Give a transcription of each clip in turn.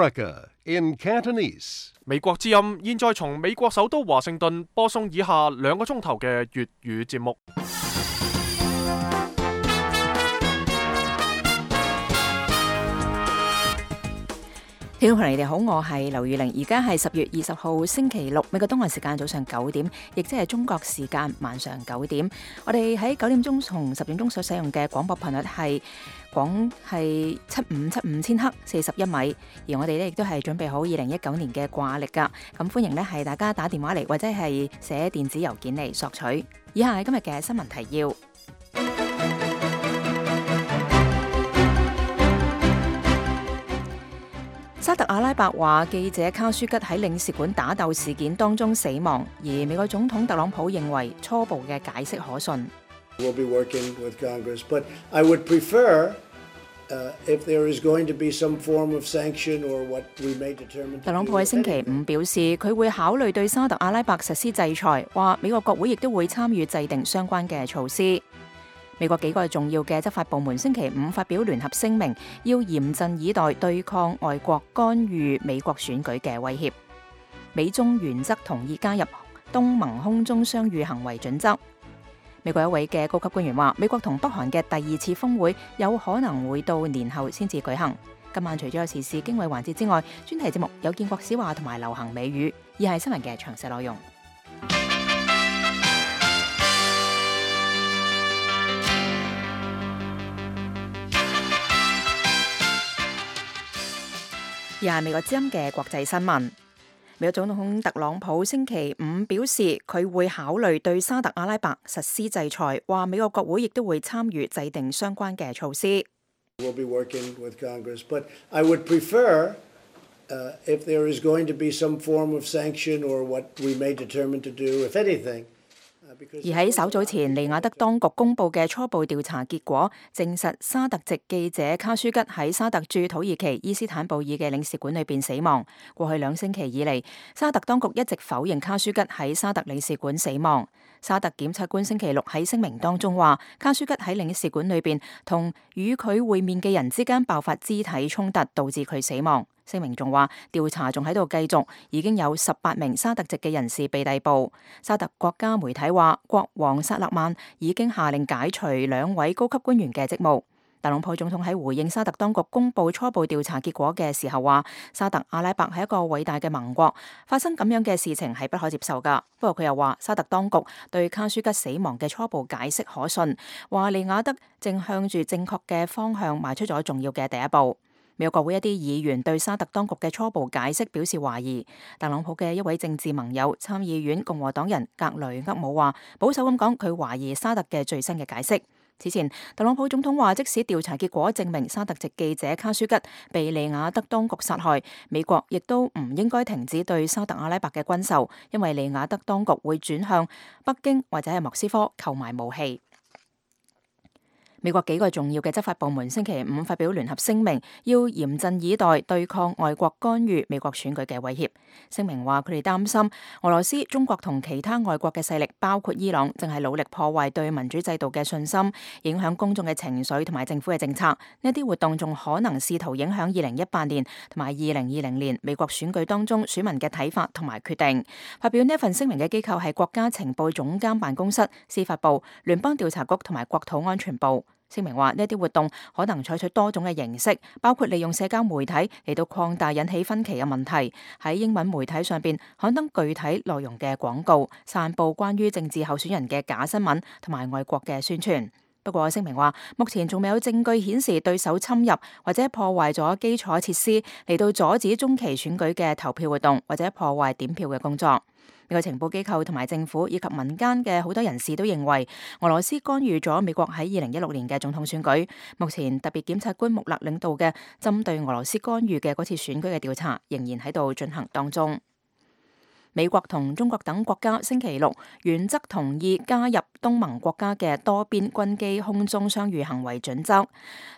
America in Cantonese. 美國之音現在從美國首都華盛頓播送以下2個鐘頭嘅粵語節目。聽眾朋友你哋好，我係劉宇玲，而家係10月20號星期六，美國東岸時間早上9點，亦即係中國時間晚上9點。我哋喺9點鐘同10點鐘所使用嘅廣播頻率係7575千赫41米，而我哋呢亦都係準備好2019年嘅掛曆噶。咁歡迎呢係大家打電話嚟或者係寫電子郵件嚟索取。以下係今日嘅新聞提要。沙特阿拉伯話記者卡舒吉喺領事館打鬥事件當中死亡，而美國總統特朗普認為初步嘅解釋可信。We'll be working with Congress, but I would prefer, if there is going to be some form of sanction or what we may determine. 特朗普喺星期五表示，佢會考慮對沙特阿拉伯實施制裁，話美國國會亦都會參與制定相關嘅措施。美國幾個重要嘅執法部門星期五發表聯合聲明，要嚴陣以待對抗外國干預美國選舉嘅威脅。美中原則同意加入東盟空中相遇行為準則。美國一位嘅高級官員話，美國同北韓嘅第2次峰會有可能會到年後先至舉行。今晚除咗有時事經緯環節之外，專題節目有建國史話同埋流行美語，以下係新聞嘅詳細內容。而係美國之音嘅國際新聞。美國總統特朗普星期五表示，佢會考慮對沙特阿拉伯實施制裁，話美國國會亦都會參與制定相關嘅措施。We'll be working with Congress, but I would prefer, if there is going to be some form of sanction or what we may determine to do, if anything.而喺稍早前，利雅得當局公布嘅初步調查結果，證實沙特籍記者卡舒吉喺沙特駐土耳其伊斯坦布爾嘅領事館裏邊死亡。過去2星期以嚟，沙特當局一直否認卡舒吉喺沙特領事館死亡。沙特檢察官星期六喺聲明當中話，卡舒吉喺領事館裏邊同與佢會面嘅人之間爆發肢體衝突，導致佢死亡。聲明仲話，調查仲喺度繼續，已經有18名沙特籍嘅人士被逮捕。沙特國家媒體話，國王薩勒曼已經下令解除2位高級官員嘅職務。特朗普總統喺回應沙特當局公布初步調查結果嘅時候話，沙特阿拉伯係一個偉大嘅盟國，發生咁樣嘅事情係不可接受噶。不過佢又話，沙特當局對卡舒吉死亡嘅初步解釋可信，話利雅得正向住正確嘅方向邁出咗重要嘅第一步。美國國會一啲議員對沙特當局嘅初步解釋表示懷疑。特朗普嘅一位政治盟友參議院共和黨人格雷厄姆話，保守咁講，佢懷疑沙特嘅最新嘅解釋。此前，特朗普總統話，即使調查結果證明沙特籍記者卡舒吉被利雅得當局殺害，美國亦都唔應該停止對沙特阿拉伯嘅軍售，因為利雅得當局會轉向北京或者係莫斯科購買武器。美國幾個重要嘅執法部門星期五發表聯合聲明，要嚴陣以待對抗外國干預美國選舉嘅威脅。聲明話，佢哋擔心俄羅斯、中國同其他外國嘅勢力，包括伊朗，正係努力破壞對民主制度嘅信心，影響公眾嘅情緒同埋政府嘅政策。呢啲活動仲可能試圖影響2018年同埋2020年美國選舉當中選民嘅睇法同埋決定。發表呢一份聲明嘅機構係國家情報總監辦公室、司法部、聯邦調查局同埋國土安全部。聲明話，呢啲活動可能採取多種嘅形式，包括利用社交媒體嚟到擴大引起分歧嘅問題，喺英文媒體上邊刊登具體內容嘅廣告，散佈關於政治候選人嘅假新聞同埋外國嘅宣傳。不過聲明話，目前仲未有證據顯示對手侵入或者破壞咗基礎設施嚟到阻止中期選舉嘅投票活動，或者破壞點票嘅工作。美國情報機構同埋政府以及民間嘅好多人士都認為，俄羅斯干預咗美國喺2016年嘅總統選舉。目前特別檢察官穆勒領導嘅針對俄羅斯干預嘅嗰次選舉嘅調查仍然喺度進行當中。美國同中國等國家星期六原則同意加入東盟國家嘅多邊軍機空中相遇行為準則。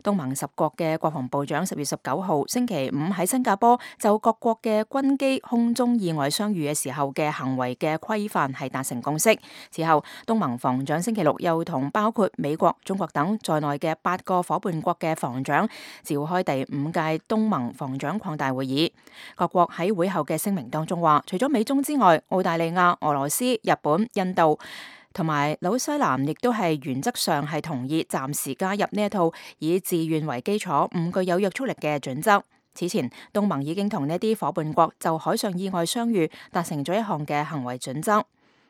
東盟10國嘅國防部長10月19號星期五喺新加坡就各國嘅軍機空中意外相遇嘅時候嘅行為嘅規範係達成共識。此後，東盟防長星期六又同包括美國、中國等在內嘅8個夥伴國嘅防長召開第5屆東盟防長擴大會議。各國喺會後嘅聲明當中話，除咗美中之外，澳大利亞、俄羅斯、日本、印度同埋紐西蘭亦都係原則上係同意暫時加入呢一套以自願為基礎、唔具有約束力嘅準則。此前，東盟已經同呢啲夥伴國就海上意外相遇達成咗一項嘅行為準則。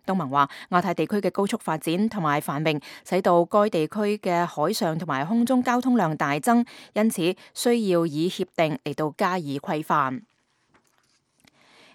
東盟話，亞太地區嘅高速發展同埋繁榮，使到該地區嘅海上同埋空中交通量大增，因此需要以協定嚟到加以規範。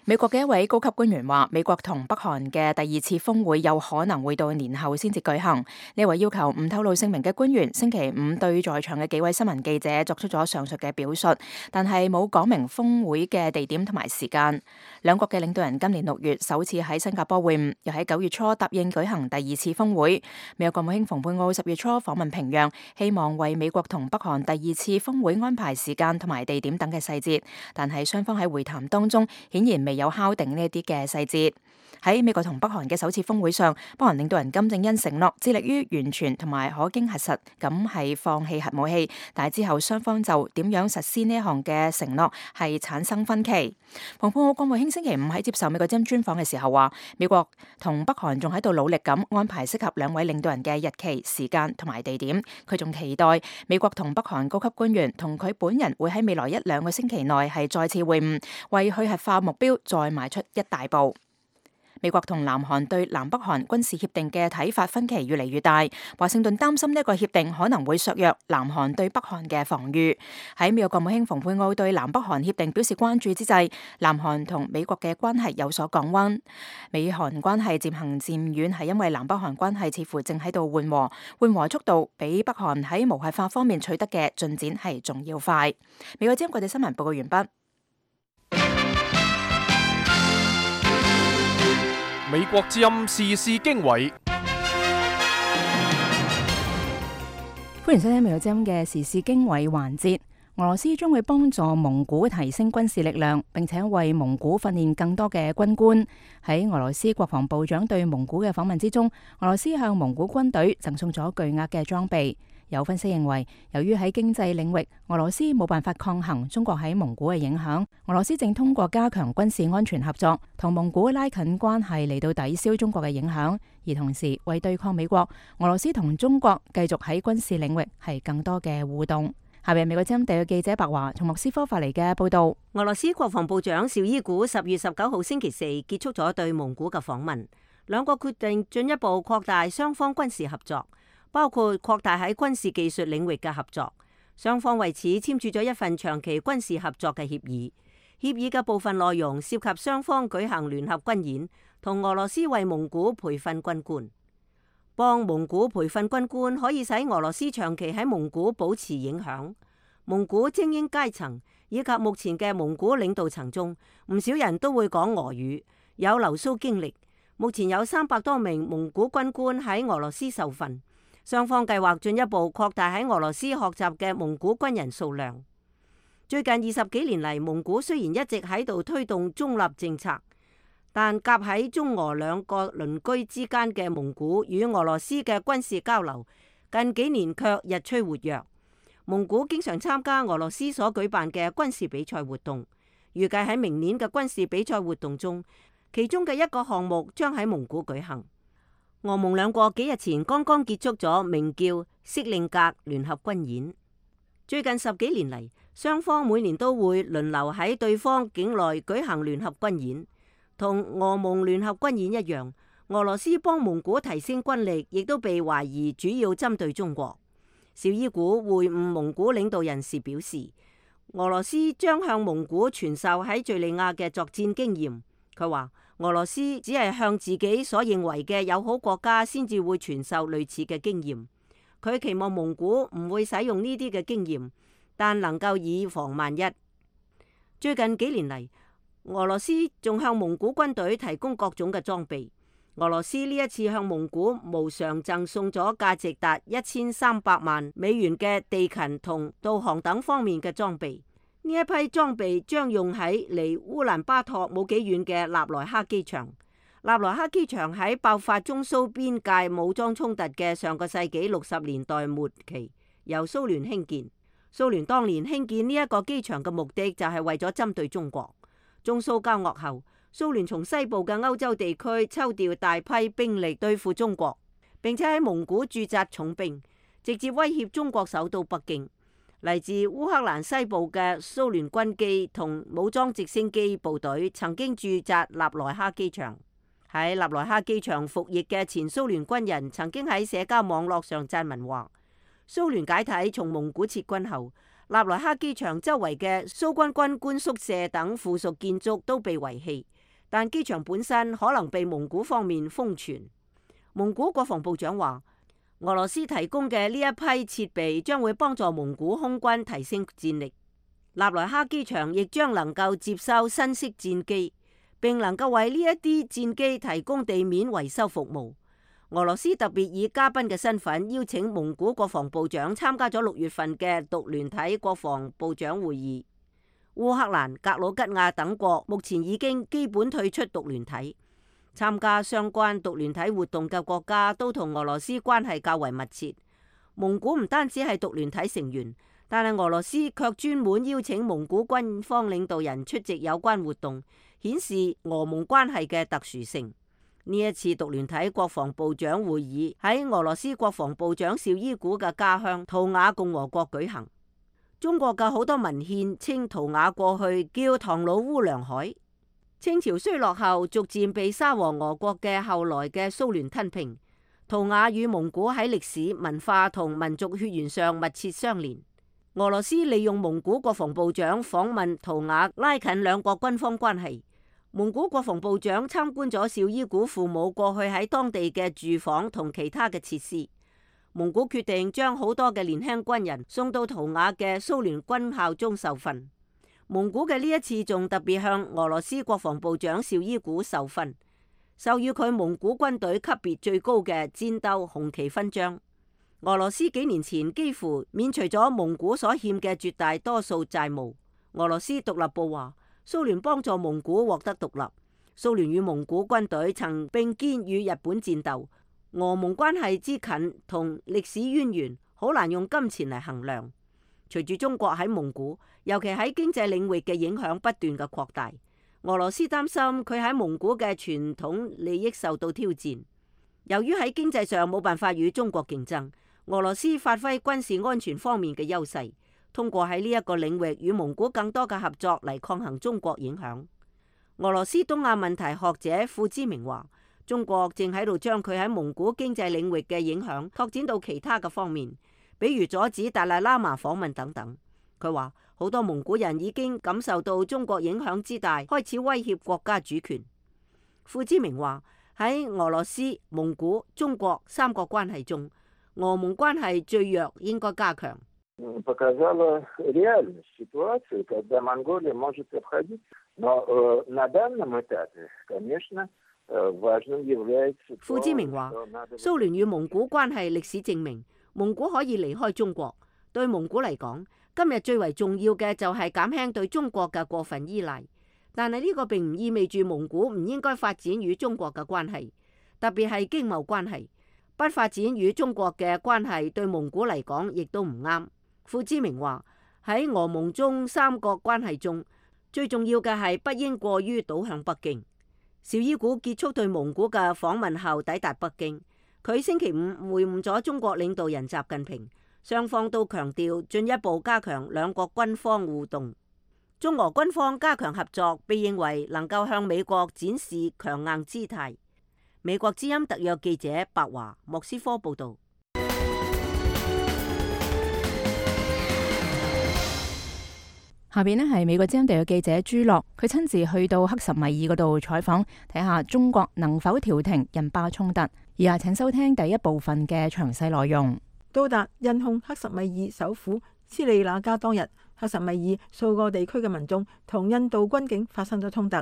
美國嘅一位高級官員話，美國同北韓嘅第2次峰會有可能會到年後先至舉行。呢位要求唔透露姓名嘅官員星期五對在場嘅幾位新聞記者作出咗上述嘅表述，但係冇講明峰會嘅地點同埋時間。兩國嘅領導人今年6月首次喺新加坡會晤，又喺9月初答應舉行第2次峰會。美國國務卿蓬佩奧10月初訪問平壤，希望為美國同北韓第2次峰會安排時間同埋地點等嘅細節，但係雙方喺會談當中顯然未有敲定呢啲嘅細節。喺美國同北韓嘅首次峰會上，北韓領導人金正恩承諾致力於完全同埋可經核實咁係放棄核武器，但係之後雙方就點樣實施呢一項嘅承諾係產生分歧。蓬佩奧國務卿星期五喺接受美國之音專訪嘅時候話，美國同北韓仲喺度努力咁安排適合兩位領導人嘅日期、時間同埋地點。佢仲期待美國同北韓高級官員同佢本人會喺未來1-2個星期內係再次會晤，為去核化目標再邁出一大步。美國同南韓對南北韓軍事協定嘅睇法分歧越嚟越大，華盛頓擔心呢個協定可能會削弱南韓對北韓嘅防禦。喺美國國務卿蓬佩奧對南北韓協定表示關注之際，南韓同美國嘅關係有所降溫。美韓關係漸行漸遠係因為南北韓關係似乎正喺度緩和速度比北韓喺無核化方面取得嘅進展係仲要快。美國之音國際新聞報告完畢。美國之音時事經緯，歡迎收聽美國之音嘅時事經緯環節。俄羅斯將會幫助蒙古提升軍事力量，並且為蒙古訓練更多嘅軍官。喺俄羅斯國防部長對蒙古嘅訪問之中，俄羅斯向蒙古軍隊贈送咗巨額嘅裝備。有分析認為，由於喺經濟領域，俄羅斯冇辦法抗衡中國喺蒙古嘅影響，俄羅斯正通過加強軍事安全合作，同蒙古拉近關係嚟到抵消中國嘅影響，而同時為對抗美國，俄羅斯同中國繼續喺軍事領域係更多嘅互動。下邊美國之音特約記者白華從莫斯科發嚟嘅報道。俄羅斯國防部長紹伊古10月19號星期四結束咗對蒙古嘅訪問，兩國決定進一步擴大雙方軍事合作，包括擴大喺軍事技術領域嘅合作。雙方為此簽署咗一份長期軍事合作嘅協議。協議嘅部分內容涉及雙方舉行聯合軍演，同俄羅斯為蒙古培訓軍官。幫蒙古培訓軍官可以使俄羅斯長期喺蒙古保持影響。蒙古精英階層以及目前嘅蒙古領導層中，唔少人都會講俄語，有留蘇經歷。目前有300多名蒙古軍官喺俄羅斯受訓。雙方計劃進一步擴大喺俄羅斯學習嘅蒙古軍人數量。最近20幾年嚟，蒙古雖然一直喺度推動中立政策，但夾喺中俄兩個鄰居之間嘅蒙古與俄羅斯嘅軍事交流，近幾年卻日趨活躍。蒙古經常參加俄羅斯所舉辦嘅軍事比賽活動，預計喺明年嘅軍事比賽活動中，其中嘅一個項目將喺蒙古舉行。俄蒙兩國幾日前剛剛結束咗名叫色令格聯合軍演。最近10幾年嚟，雙方每年都會輪流喺對方境內舉行聯合軍演。同俄蒙聯合軍演一樣，俄羅斯幫蒙古提升軍力，亦都被懷疑主要針對中國。紹伊古會晤蒙古領導人時表示，俄羅斯將向蒙古傳授喺敘利亞嘅作戰經驗。佢話，俄羅斯只係向自己所認為嘅友好國家先至會傳授類似嘅經驗。佢期望蒙古唔會使用呢啲嘅經驗，但能夠以防萬一。最近幾年嚟，俄羅斯仲向蒙古軍隊提供各種嘅裝備。俄羅斯呢一次向蒙古無償贈送咗價值達1300萬美元嘅地勤同導航等方面嘅裝備。呢一批裝備將用喺離烏蘭巴托冇幾遠嘅納萊克機場。納萊克機場喺爆發中蘇邊界武裝衝突嘅上個世紀60年代末期由蘇聯興建。蘇聯當年興建呢一個機場嘅目的就係為咗針對中國。中蘇交惡後，蘇聯從西部嘅歐洲地區抽調大批兵力對付中國，並且喺蒙古駐紮重兵，直接威脅中國首都北京。嚟自烏克蘭西部嘅蘇聯軍機同武裝直升機部隊曾經駐紮納萊克機場。喺納萊克機場服役嘅前蘇聯軍人曾經喺社交網絡上撰文話：蘇聯解體從蒙古撤軍後，納萊克機場周圍嘅蘇軍軍官宿舍等附屬建築都被遺棄，但機場本身可能被蒙古方面封存。蒙古國防部長話，俄羅斯提供嘅呢一批設備將會幫助蒙古空軍提升戰力。納萊克機場亦將能夠接收新式戰機，並能夠為呢一啲戰機提供地面維修服務。俄羅斯特別以嘉賓嘅身份邀請蒙古國防部長參加咗6月份嘅獨聯體國防部長會議。烏克蘭、格魯吉亞等國目前已經基本退出獨聯體。參加相關獨聯體活動嘅國家都同俄羅斯關係較為密切。蒙古唔單止係獨聯體成員，但係俄羅斯卻專門邀請蒙古軍方領導人出席有關活動，顯示俄蒙關係嘅特殊性。呢一次獨聯體國防部長會議喺俄羅斯國防部長紹伊古嘅家鄉圖瓦共和國舉行。中國嘅好多文獻稱圖瓦過去叫唐努烏梁海。清朝衰落後，逐漸被沙俄俄國嘅後來嘅蘇聯吞併。圖瓦與蒙古喺歷史、文化同民族血緣上密切相連。俄羅斯利用蒙古國防部長訪問圖瓦，拉近兩國軍方關係。蒙古國防部長參觀咗紹伊古父母過去喺當地嘅住房同其他嘅設施。蒙古決定將好多嘅年輕軍人送到圖瓦嘅蘇聯軍校中受訓。蒙古嘅呢一次仲特別向俄羅斯國防部長紹伊古授勳，授予佢蒙古軍隊級別最高嘅戰鬥紅旗勳章。俄羅斯幾年前幾乎免除咗蒙古所欠嘅絕大多數債務。俄羅斯獨立報話，蘇聯幫助蒙古獲得獨立。蘇聯與蒙古軍隊曾並肩與日本戰鬥。俄蒙關係之近同歷史淵源，好難用金錢嚟衡量。隨住中國喺蒙古，尤其喺經濟領域嘅影響不斷嘅擴大，俄羅斯擔心佢喺蒙古嘅傳統利益受到挑戰。由於喺經濟上冇辦法與中國競爭，俄羅斯發揮軍事安全方面嘅優勢，通過喺呢一個領域與蒙古更多嘅合作嚟抗衡中國影響。俄羅斯東亞問題學者傅之明話，中國正喺度將佢喺蒙古經濟領域嘅影響拓展到其他嘅方面，比如阻止達賴喇嘛訪問等等。佢話好多蒙古人已經感受到中國影響之大，開始威脅國家主權。傅之明話喺俄羅斯、蒙古、中國三國關係中，俄蒙關係最弱，應該加強。傅之明話，蘇聯與蒙古關係歷史證明，蒙古可以離開中國。對蒙古嚟講，今日最為重要嘅就係減輕對中國嘅過分依賴。但係呢個並唔意味住蒙古唔應該發展與中國嘅關係，特別係經貿關係。不發展與中國嘅關係對蒙古嚟講亦都唔啱。傅之明話喺俄蒙中三國關係中，最重要嘅係不應過於倒向北京。紹伊古結束對蒙古嘅訪問後抵達北京，佢星期五會晤咗中國領導人習近平，雙方都強調進一步加強兩國軍方互動。中俄軍方加強合作，被認為能夠向美國展示強硬姿態。美國之音特約記者白華莫斯科報道。下邊呢係美國之音特約記者朱樂，佢親自去到克什米爾嗰度採訪，睇下中國能否調停印巴衝突。以下請收聽第一部分嘅詳細內容。到達印控克什米爾首府斯里那加當日，克什米爾數個地區嘅民眾同印度軍警發生咗衝突，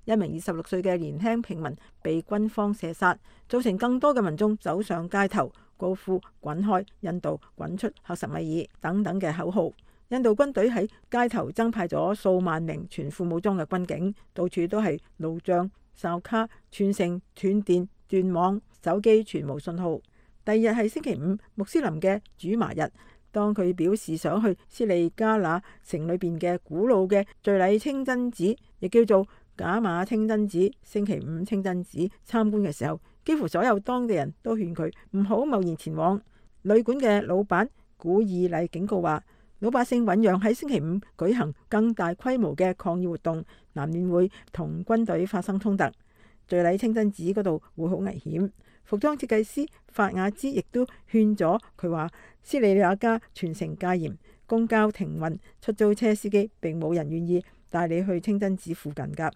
一名26歲嘅年輕平民被軍方射殺，造成更多嘅民眾走上街頭，高呼滾開印度、滾出克什米爾等等嘅口號。印度軍隊喺街頭增派咗數萬名全副武裝嘅軍警，到處都係路障、哨卡，全城斷電、斷網，手機全無信號。第二日係星期五，穆斯林嘅主麻日。當佢表示想去斯里加那城裏邊嘅古老嘅敘禮清真寺，亦叫做賈馬清真寺、星期五清真寺參觀嘅時候，幾乎所有當地人都勸佢唔好貿然前往。旅館嘅老闆古爾麗警告話，老百姓醞釀喺星期五舉行更大規模嘅抗議活動，難免會同軍隊發生衝突。敘禮清真寺嗰度會好危險。服裝設計師法雅茲亦都勸咗佢話，斯里亞加全城戒嚴，公交停運，出租車司機並冇人願意帶你去清真寺附近㗎。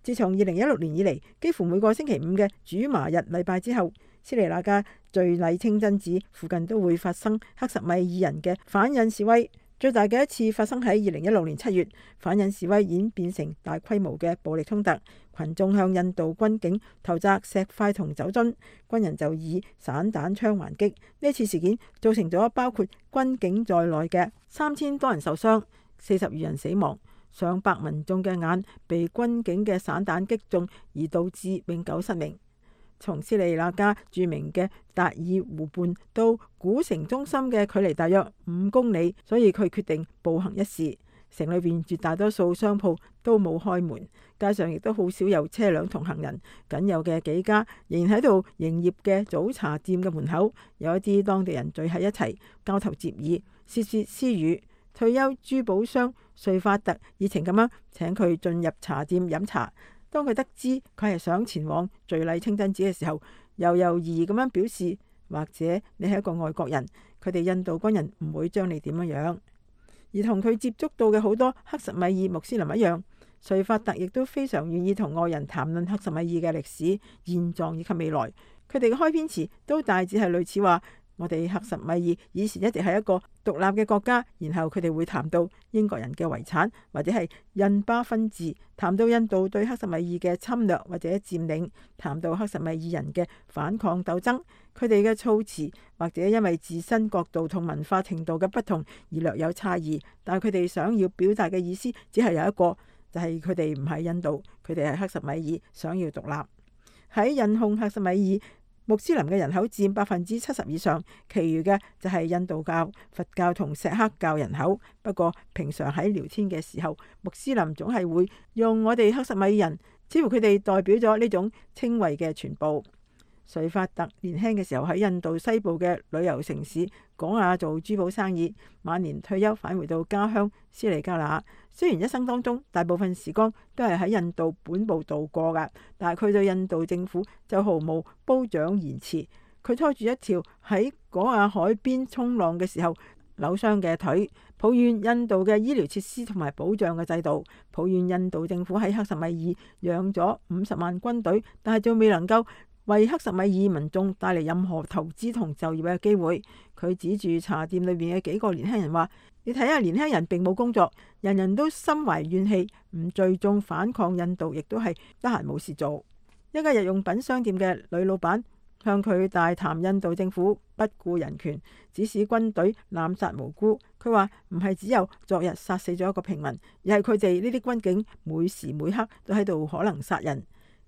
自從2016年以嚟，幾乎每個星期五嘅主麻日禮拜之後，斯里亞加敘禮清真寺附近都會發生克什米爾人嘅反印示威。最大嘅一次發生喺2016年7月，反印示威演變成大規模嘅暴力衝突，群眾向印度軍警投擲石塊同酒樽，軍人就以散彈槍還擊。呢次事件造成咗包括軍警在內嘅3000多人受傷，40餘人死亡，上百民眾嘅眼被軍警嘅散彈擊中，而導致永久失明。從斯里那加著名嘅達爾湖畔到古城中心嘅距離大約5公里，所以佢決定步行一試。城裏邊絕大多數商鋪都冇開門，街上亦都好少有車輛同行人，僅有嘅幾家仍然喺度營業嘅早茶店嘅門口，有一啲當地人聚喺一齊交頭接耳、竊竊私語。退休珠寶商瑞法特熱情咁樣請佢進入茶店飲茶。當佢得知佢係想前往敘禮清真寺嘅時候，猶豫咁樣表示，或者你係一個外國人，佢哋印度軍人唔會將你點樣。而同佢接觸到嘅好多克什米爾穆斯林一樣，瑞法特亦都非常願意同外人談論克什米爾嘅歷史、現狀以及未來。佢哋嘅開篇詞都大致係類似話，我哋克什米爾以前一直係一個獨立嘅國家，然後佢哋會談到英國人嘅遺產，或者係印巴分治，談到印度對克什米爾嘅侵略或者佔領，談到克什米爾人嘅反抗鬥爭。佢哋嘅措辭或者因為自身角度同文化程度嘅不同而略有差異，但係佢哋想要表達嘅意思只係有一個，就係佢哋唔係印度，佢哋係克什米爾，想要獨立。喺印控克什米爾穆斯林嘅人口佔70%以上，其餘嘅就係印度教、佛教同錫克教人口。不過平常喺聊天嘅時候，穆斯林總係會用我哋克什米爾人，似乎佢哋代表咗呢種稱謂嘅全部。瑞法特年輕嘅時候喺印度西部嘅旅遊城市果亞做珠寶生意，晚年退休返回到家鄉斯里加那。雖然一生當中大部分時光都係喺印度本部度過㗎，但係佢對印度政府就毫無褒獎言辭。佢拖住一條喺果亞海邊衝浪嘅時候扭傷嘅腿，抱怨印度嘅醫療設施同埋保障嘅制度，抱怨印度政府喺克什米爾養咗50萬軍隊，但係仲未能夠為克什米爾民眾帶嚟任何投資同就業嘅機會。佢指住茶店裏面嘅幾個年輕人話，你睇下，年輕人並冇工作，人人都心懷怨氣，唔聚眾反抗印度，亦都係得閒冇事做。一家日用品商店嘅女老闆向佢大談印度政府不顧人權，指使軍隊濫殺無辜。佢話唔係只有昨日殺死咗一個平民，而係佢哋呢啲軍警每時每刻都喺度可能殺人。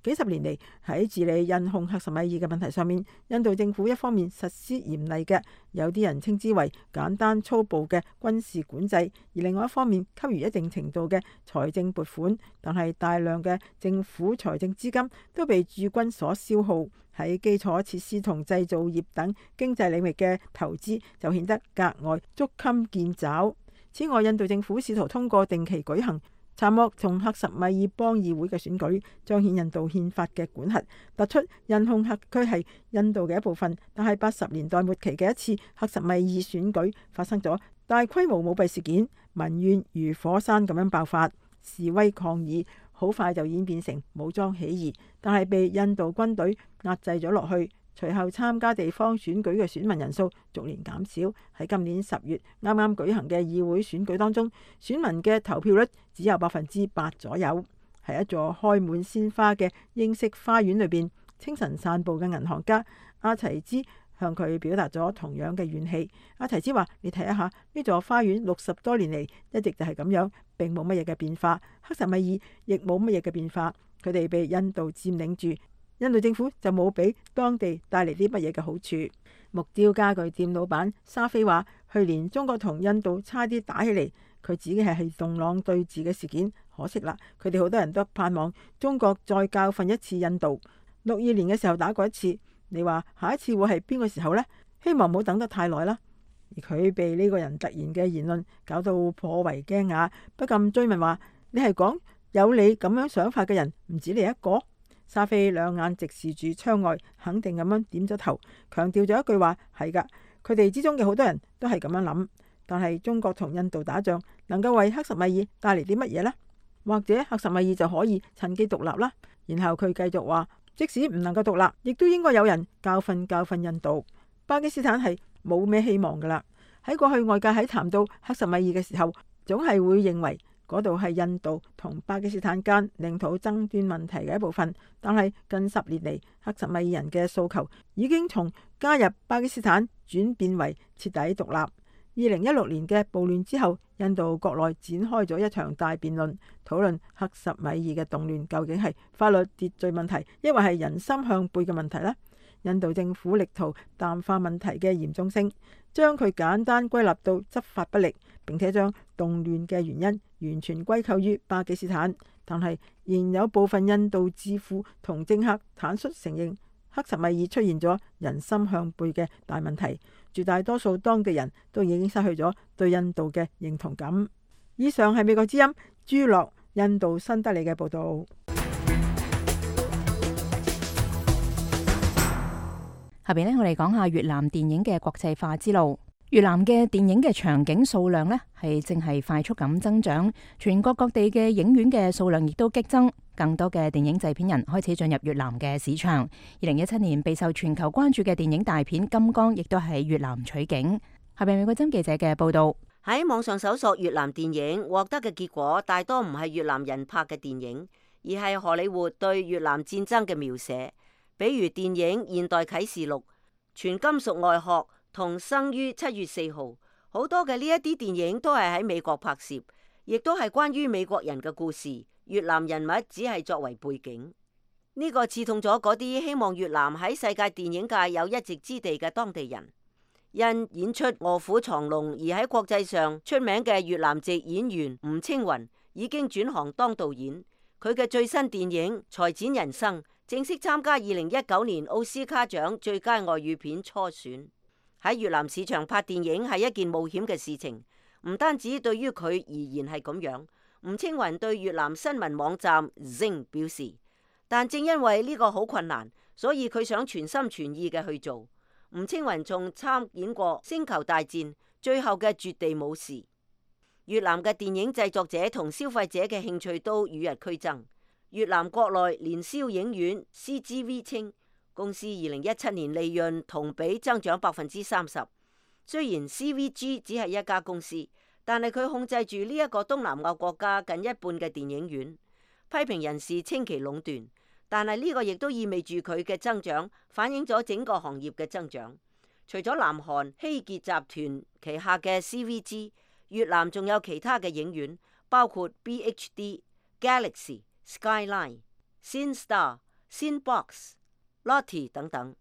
幾十年嚟喺治理印控克什米爾嘅問題上面，印度政府一方面實施嚴厲嘅，有啲人稱之為簡單粗暴嘅軍事管制，而另外一方面給予一定程度嘅財政撥款，但係大量嘅政府財政資金都被駐軍所消耗，喺基礎設施同製造業等經濟領域嘅投資就顯得格外捉襟見肘。此外，印度政府試圖通過定期舉行查莫同克什米爾邦議會嘅選舉，彰顯印度憲法嘅管轄，突出印控克區係印度嘅一部分。但係80年代末期嘅一次克什米爾選舉發生咗大規模舞弊事件，民怨如火山咁樣爆發，示威抗議好快就演變成武裝起義，但係被印度軍隊壓制咗落去。隨後參加地方選舉嘅選民人數逐年減少。喺今年10月啱啱舉行嘅議會選舉當中，選民嘅投票率只有8%左右。喺一座開滿鮮花嘅英式花園裏邊，清晨散步嘅銀行家阿提茲向佢表達咗同樣嘅怨氣。阿提茲話：你睇一下呢座花園60多年嚟一直就係咁樣，並冇乜嘢嘅變化。克什米爾亦冇乜嘢嘅變化，佢哋被印度佔領住，印度政府就冇俾當地帶嚟啲乜嘢嘅好處。木雕家具店老闆沙菲話：去年中國同印度差啲打起嚟，佢指嘅係洞朗對峙嘅事件。可惜啦，佢哋好多人都盼望中國再教訓一次印度。62年嘅時候打過一次，你話下一次會係邊個時候呢？希望唔好等得太耐啦。而佢被呢個人突然嘅言論搞到頗為驚訝，不禁追問話：你係講有你咁樣想法嘅人唔止你一個？沙菲兩眼直視住窗外，肯定咁樣點咗頭，強調咗一句話：係噶，佢哋之中嘅好多人都係咁樣諗。但係中國同印度打仗，能夠為克什米爾帶嚟啲乜嘢呢？或者克什米爾就可以趁機獨立啦。然後佢繼續話：即使唔能夠獨立，亦都應該有人教訓印度。巴基斯坦係冇咩希望噶啦。喺過去外界喺談到克什米爾嘅時候，總係會認為嗰度係印度同巴基斯坦間領土爭端問題嘅一部分。但係近10年嚟，克什米爾人嘅訴求已經從加入巴基斯坦轉變為徹底獨立。2016年嘅暴亂之後，印度國內展開咗一場大辯論，討論克什米爾嘅動亂究竟係法律秩序問題，抑或係人心向背嘅問題呢？印度政府力圖淡化問題嘅嚴重性，將佢簡單歸納到執法不力，並且將動亂嘅原因完全歸咎於巴基斯坦。但係仍有部分印度智庫同政客坦率承認，克什米爾出現咗人心向背嘅大問題，絕大多數當地人都已經失去咗對印度嘅認同感。以上係美國之音朱樂印度新德里嘅報道。下邊呢，我哋講下越南電影嘅國際化之路。越南嘅電影嘅場景數量呢，係正係快速咁增長，全國各地嘅影院嘅數量亦都激增，更多嘅電影製片人開始進入越南嘅市場。2017年備受全球關注嘅電影大片《金剛》亦都喺越南取景。下邊美國針記者嘅報道。喺網上搜索越南電影，獲得嘅結果大多唔係越南人拍嘅電影，而係荷里活對越南戰爭嘅描寫，比如電影《現代啟示錄》、《全金屬外殼》同《生於7月4號》，好多嘅呢一啲電影都係喺美國拍攝，亦都係關於美國人嘅故事，越南人物只係作為背景。呢個刺痛咗嗰啲希望越南喺世界電影界有一席之地嘅當地人。因演出《卧虎藏龍》而喺國際上出名嘅越南籍演員吳青雲已經轉行當導演，佢嘅最新電影《裁剪人生》正式參加2019年奧斯卡獎最佳外語片初選。喺越南市場拍電影係一件冒險嘅事情，唔單止對於佢而言係咁樣。吳青雲對越南新聞網站 Zing 表示，但正因為呢個好困難，所以佢想全心全意嘅去做。吳青雲仲參演過《星球大戰》最後嘅絕地武士。越南嘅電影製作者同消費者嘅興趣都與日俱增。越南國內年銷影院 CGV 稱，公司2017年利潤同比增長30%。雖然 CVG 只係一家公司，但係佢控制住呢一個東南亞國家近一半嘅電影院。批評人士稱其壟斷，但係呢個亦都意味住佢嘅增長反映咗整個行業嘅增長。除咗南韓希傑集團旗下嘅 CVG， 越南仲有其他嘅影院，包括 BHD、Galaxy、Skyline、Cinestar、Cinebox、Lotte 等等。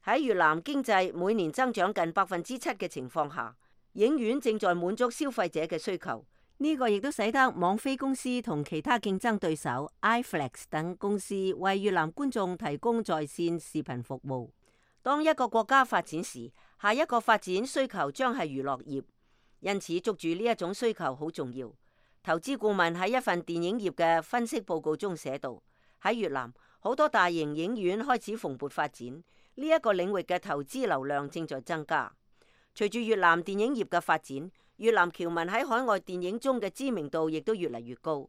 喺越南經濟每年增長近7%嘅情況下，影院正在滿足消費者嘅需求。呢個亦都使得網飛公司同其他競爭對手 iFlix 等公司為越南觀眾提供在線視頻服務。當一個國家發展時，下一個發展需求將係娛樂業，因此捉住呢一種需求好重要。投資顧問喺一份電影業嘅分析報告中寫道，喺越南好多大型影院開始蓬勃發展，呢一個領域嘅投資流量正在增加。隨住越南電影業嘅發展，越南僑民喺海外電影中嘅知名度亦都越嚟越高。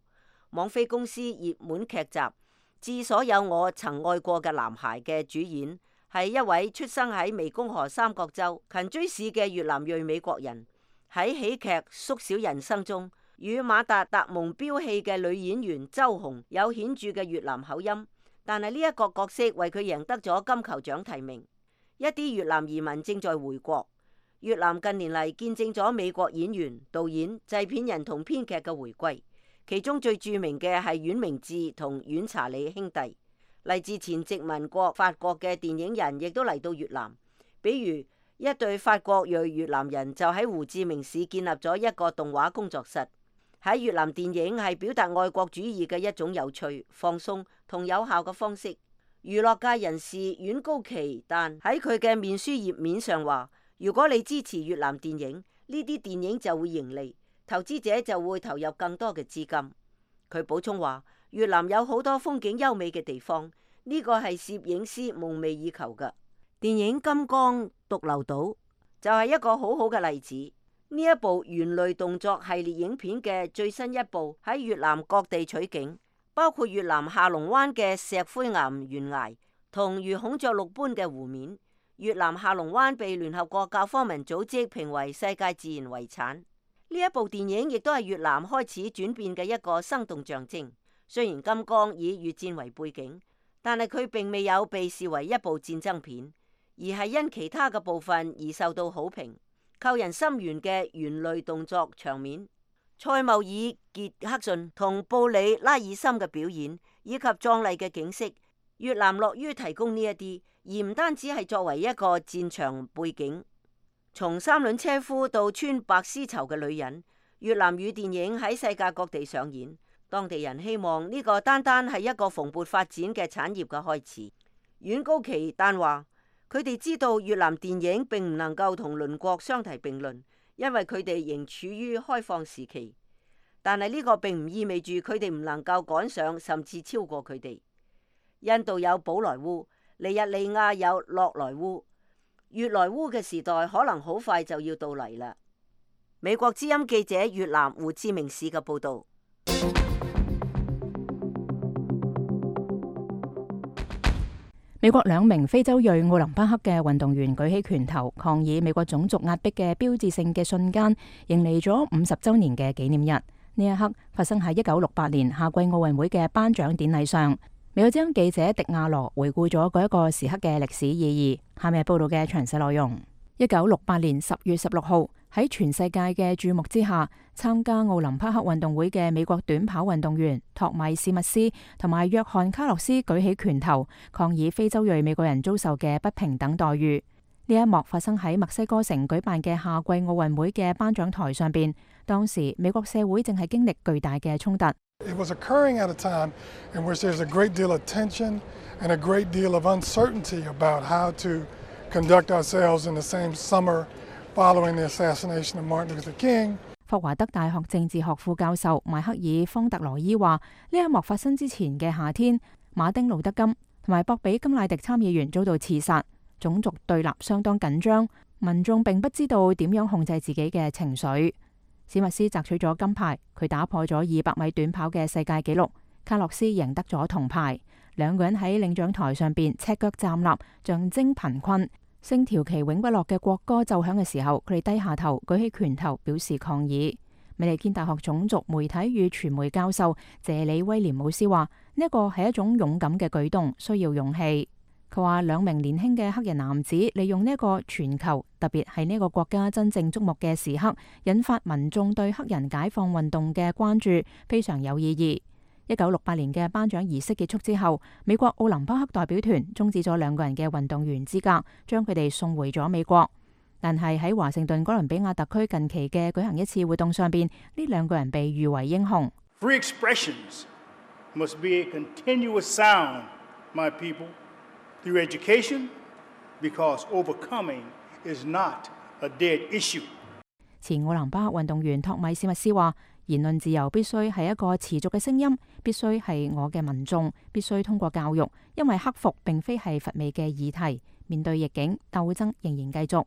網飛公司熱門劇集《致所有我曾愛過嘅男孩》嘅主演係一位出生喺湄公河三角洲勤追市嘅越南裔美國人。喺喜劇《縮小人生》中，與馬達·達蒙飆戲嘅女演員周紅有顯著嘅越南口音，但係呢一個角色為佢贏得咗金球獎提名。一啲越南移民正在回國。越南近年嚟見證咗美國演員、導演、製片人同編劇嘅回歸，其中最著名嘅係阮明智同阮查理兄弟。嚟自前殖民國法國嘅電影人亦都嚟到越南，比如一對法國裔越南人就喺胡志明市建立咗一個動畫工作室。喺越南，電影係表達愛國主義嘅一種有趣、放鬆同有效嘅方式。娛樂界人士阮高奇丹喺佢嘅面書頁面上話：如果你支持越南電影，呢啲電影就會盈利，投資者就會投入更多嘅資金。佢補充話：越南有好多風景優美嘅地方，呢個係攝影師夢寐以求嘅。電影《金剛獨流島》就係一個好好嘅例子。呢一部猿類動作系列影片嘅最新一部喺越南各地取景，包括越南下龍灣嘅石灰岩懸崖同如孔雀綠般嘅湖面。越南下龍灣被聯合國教科文組織評為世界自然遺產。呢一部電影亦都係越南開始轉變嘅一個生動象徵。雖然金剛以越戰為背景，但係佢並未有被視為一部戰爭片，而係因其他嘅部分而受到好評。扣人心弦嘅猿類動作場面、塞繆爾傑克遜同布里拉爾森嘅表演，以及壯麗嘅景色，越南樂於提供呢一啲，而唔單止係作為一個戰場背景。從三輪車夫到穿白絲綢嘅女人，越南語電影喺世界各地上演。當地人希望呢個單單係一個蓬勃發展嘅產業嘅開始。阮高奇丹話：佢哋知道越南電影並唔能夠同鄰國相提並論，因為佢哋仍處於開放時期。但係呢個並唔意味住佢哋唔能夠趕上甚至超過佢哋。印度有寶萊塢，尼日利亞有洛萊塢，越萊塢嘅時代可能好快就要到嚟啦。美國之音記者越南胡志明市嘅報導。美國兩名非洲裔奧林匹克嘅運動員舉起拳頭抗議美國種族壓迫嘅標誌性嘅瞬間，迎嚟咗50週年嘅紀念日。呢一刻發生喺1968年夏季奧運會嘅頒獎典禮上。美國之音記者迪亞羅回顧咗嗰一個時刻嘅歷史意義。下面係報道嘅詳細內容。1968年10月16號，喺全世界嘅注目之下，參加奧林匹克運動會嘅美國短跑運動員托米史密斯同埋約翰卡洛斯舉起拳頭，抗議非洲裔美國人遭受嘅不平等待遇。呢一幕發生喺墨西哥城舉辦嘅夏季奧運會嘅頒獎台上邊。當時美國社會正係經歷巨大嘅衝突。It was occurring at a time in which there's a great deal of tension and a great deal of uncertainty about how to conduct ourselves in the same summer following the assassination of Martin Luther King. 霍華德大學政治學副教授邁克爾方特羅伊話：呢一幕發生之前嘅夏天，馬丁路德金同埋博比金乃迪參議員遭到刺殺，種族對立相當緊張，民眾並不知道點樣控制自己嘅情緒。史密斯摘取咗金牌，佢打破咗200米短跑嘅世界紀錄。卡洛斯贏得咗銅牌。兩個人喺領獎台上邊赤腳站立，象徵貧困。星條旗永不落嘅國歌奏響嘅時候，佢哋低下頭，舉起拳頭表示抗議。美利堅大學種族媒體與傳媒教授謝里威廉姆斯話：呢一個係一種勇敢嘅舉動，需要勇氣。佢話兩名年輕嘅黑人男子利用呢一個全球，特別係呢個國家真正矚目嘅時刻，引發民眾對黑人解放運動嘅關注，非常有意義。1968年嘅頒獎儀式結束之後，美國奧林匹克代表團終止咗兩個人嘅運動員資格，將佢哋送回咗美國。但係喺華盛頓哥倫比亞特區近期嘅舉行一次活動上邊，呢兩個人被譽為英雄。Free expressions must be a continuous sound, my people, through education, because overcoming is not a dead issue. 前奧林匹克運動員托米史密斯話：言論自由必須係一個持續嘅聲音，必須係我嘅民眾，必須通過教育，因為克服並非係乏味嘅議題。面對逆境，鬥爭仍然繼續。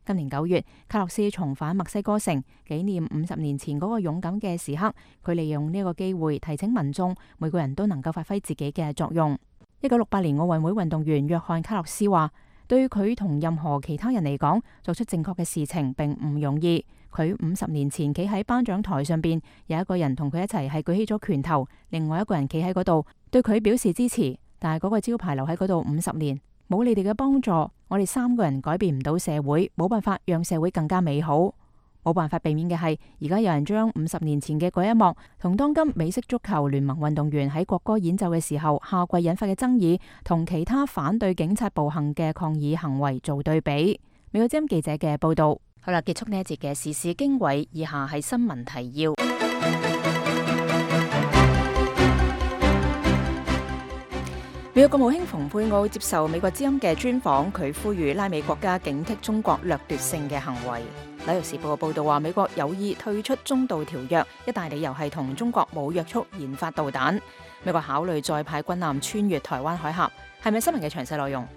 今年9月，卡洛斯重返墨西哥城，紀念50年前嗰個勇敢嘅時刻。佢利用呢個機會提醒民眾，每個人都能夠發揮自己嘅作用。1968年奧運會運動員約翰卡洛斯話：對佢同任何其他人嚟講，作出正確嘅事情並唔容易。佢50年前企喺頒獎台上邊，有一個人同佢一齊係舉起咗拳頭，另外一個人企喺嗰度對佢表示支持，但係嗰個招牌留喺嗰度50年，冇你哋嘅幫助，我哋3個人改變唔到社會，冇辦法讓社會更加美好。冇辦法避免嘅係，而家有人將50年前嘅嗰一幕同當今美式足球聯盟運動員喺國歌演奏嘅時候下跪引發嘅爭議，同其他反對警察暴行嘅抗議行為做對比。美國之音記者嘅報道。好啦，結束呢一節嘅時事經緯，以下係新聞提要。美國國務卿蓬佩奧接受美國之音嘅專訪，佢呼籲拉美國家警惕中國掠奪性嘅行為。紐約時報嘅報道話，美國有意退出中導條約，一大理由係同中國冇約束研發導彈。美國考慮再派軍艦穿越台灣海峽，係咪新聞嘅詳細內容？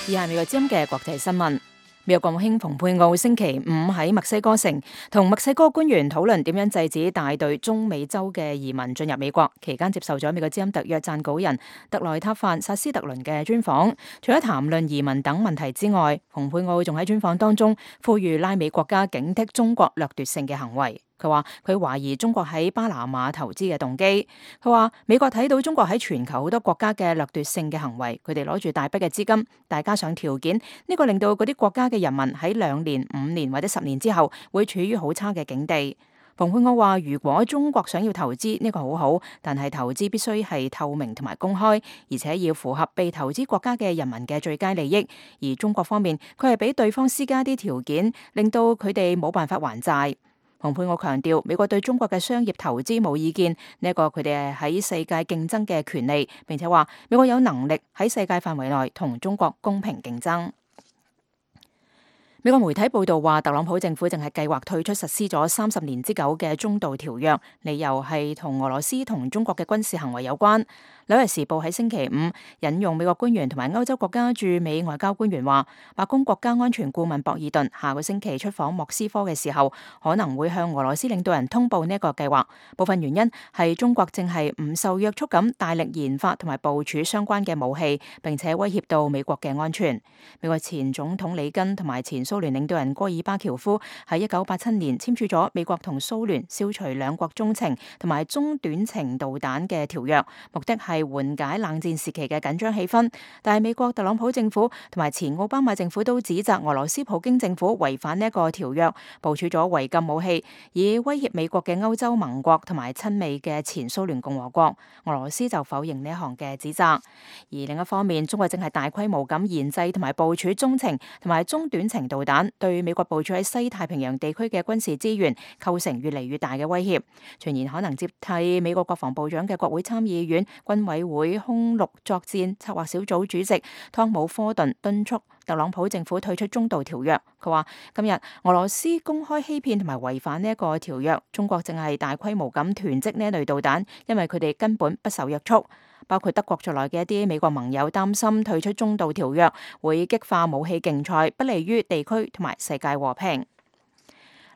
以下係美國之音嘅國際新聞。美國國務卿蓬佩奧星期5喺墨西哥城同墨西哥官員討論點樣制止大隊中美洲嘅移民進入美國，期間接受咗美國之音特約撰稿人特萊塔范薩斯特倫嘅專訪。除咗談論移民等問題之外，蓬佩奧仲喺專訪當中呼籲拉美國家警惕中國掠奪性嘅行為。佢話佢懷疑中國喺巴拿馬投資嘅動機。佢話美國睇到中國喺全球好多國家嘅掠奪性嘅行為，佢哋攞住大筆嘅資金，大加上條件，呢個令到嗰啲國家嘅人民喺2年、5年或者10年之後會處於好差嘅境地。蓬佩奧話：如果中國想要投資，呢個好好，但係投資必須係透明同埋公開，而且要符合被投資國家嘅人民嘅最佳利益。而中國方面，佢係俾對方施加啲條件，令到佢哋冇辦法還債。蓬佩奧強調，美國對中國嘅商業投資冇意見，呢一個佢哋係喺世界競爭嘅權利，並且話美國有能力喺世界範圍內同中國公平競爭。美國媒體報道話，特朗普政府正係計劃退出實施咗30年之久嘅中導條約，理由係同俄羅斯同中國嘅軍事行為有關。紐約時報喺星期5引用美國官員同埋歐洲國家駐美外交官員話，白宮國家安全顧問博爾頓下個星期出訪莫斯科嘅時候，可能會向俄羅斯領導人通報呢一個計劃。部分原因係中國正係唔受約束咁大力研發同埋部署相關嘅武器，並且威脅到美國嘅安全。美國前總統里根同埋前蘇聯領導人戈爾巴喬夫喺1987年簽署咗美國同蘇聯消除兩國中程同埋中短程導彈嘅條約，目的係緩解冷戰時期嘅緊張氣氛。但係美國特朗普政府同埋前奧巴馬政府都指責俄羅斯普京政府違反呢一個條約，部署咗違禁武器，以威脅美國嘅歐洲盟國同埋親美嘅前蘇聯共和國。俄羅斯就否認呢一項嘅指責。而另一方面，中國正係大規模咁研製同埋部署中程同埋中短程導彈，對美國部署喺西太平洋地區嘅軍事資源構成越嚟越大嘅威脅。傳言可能接替美國國防部長嘅國會參議院軍委會空陸作戰策劃小組主席湯姆科頓敦促特朗普政府退出中導條約。佢話今日俄羅斯公開欺騙同埋違反呢一個條約，中國正係大規模咁囤積呢一類導彈，因為佢哋根本不受約束。包括德國在內嘅一啲美國盟友擔心退出中導條約會激化武器競賽，不利於地區同埋世界和平。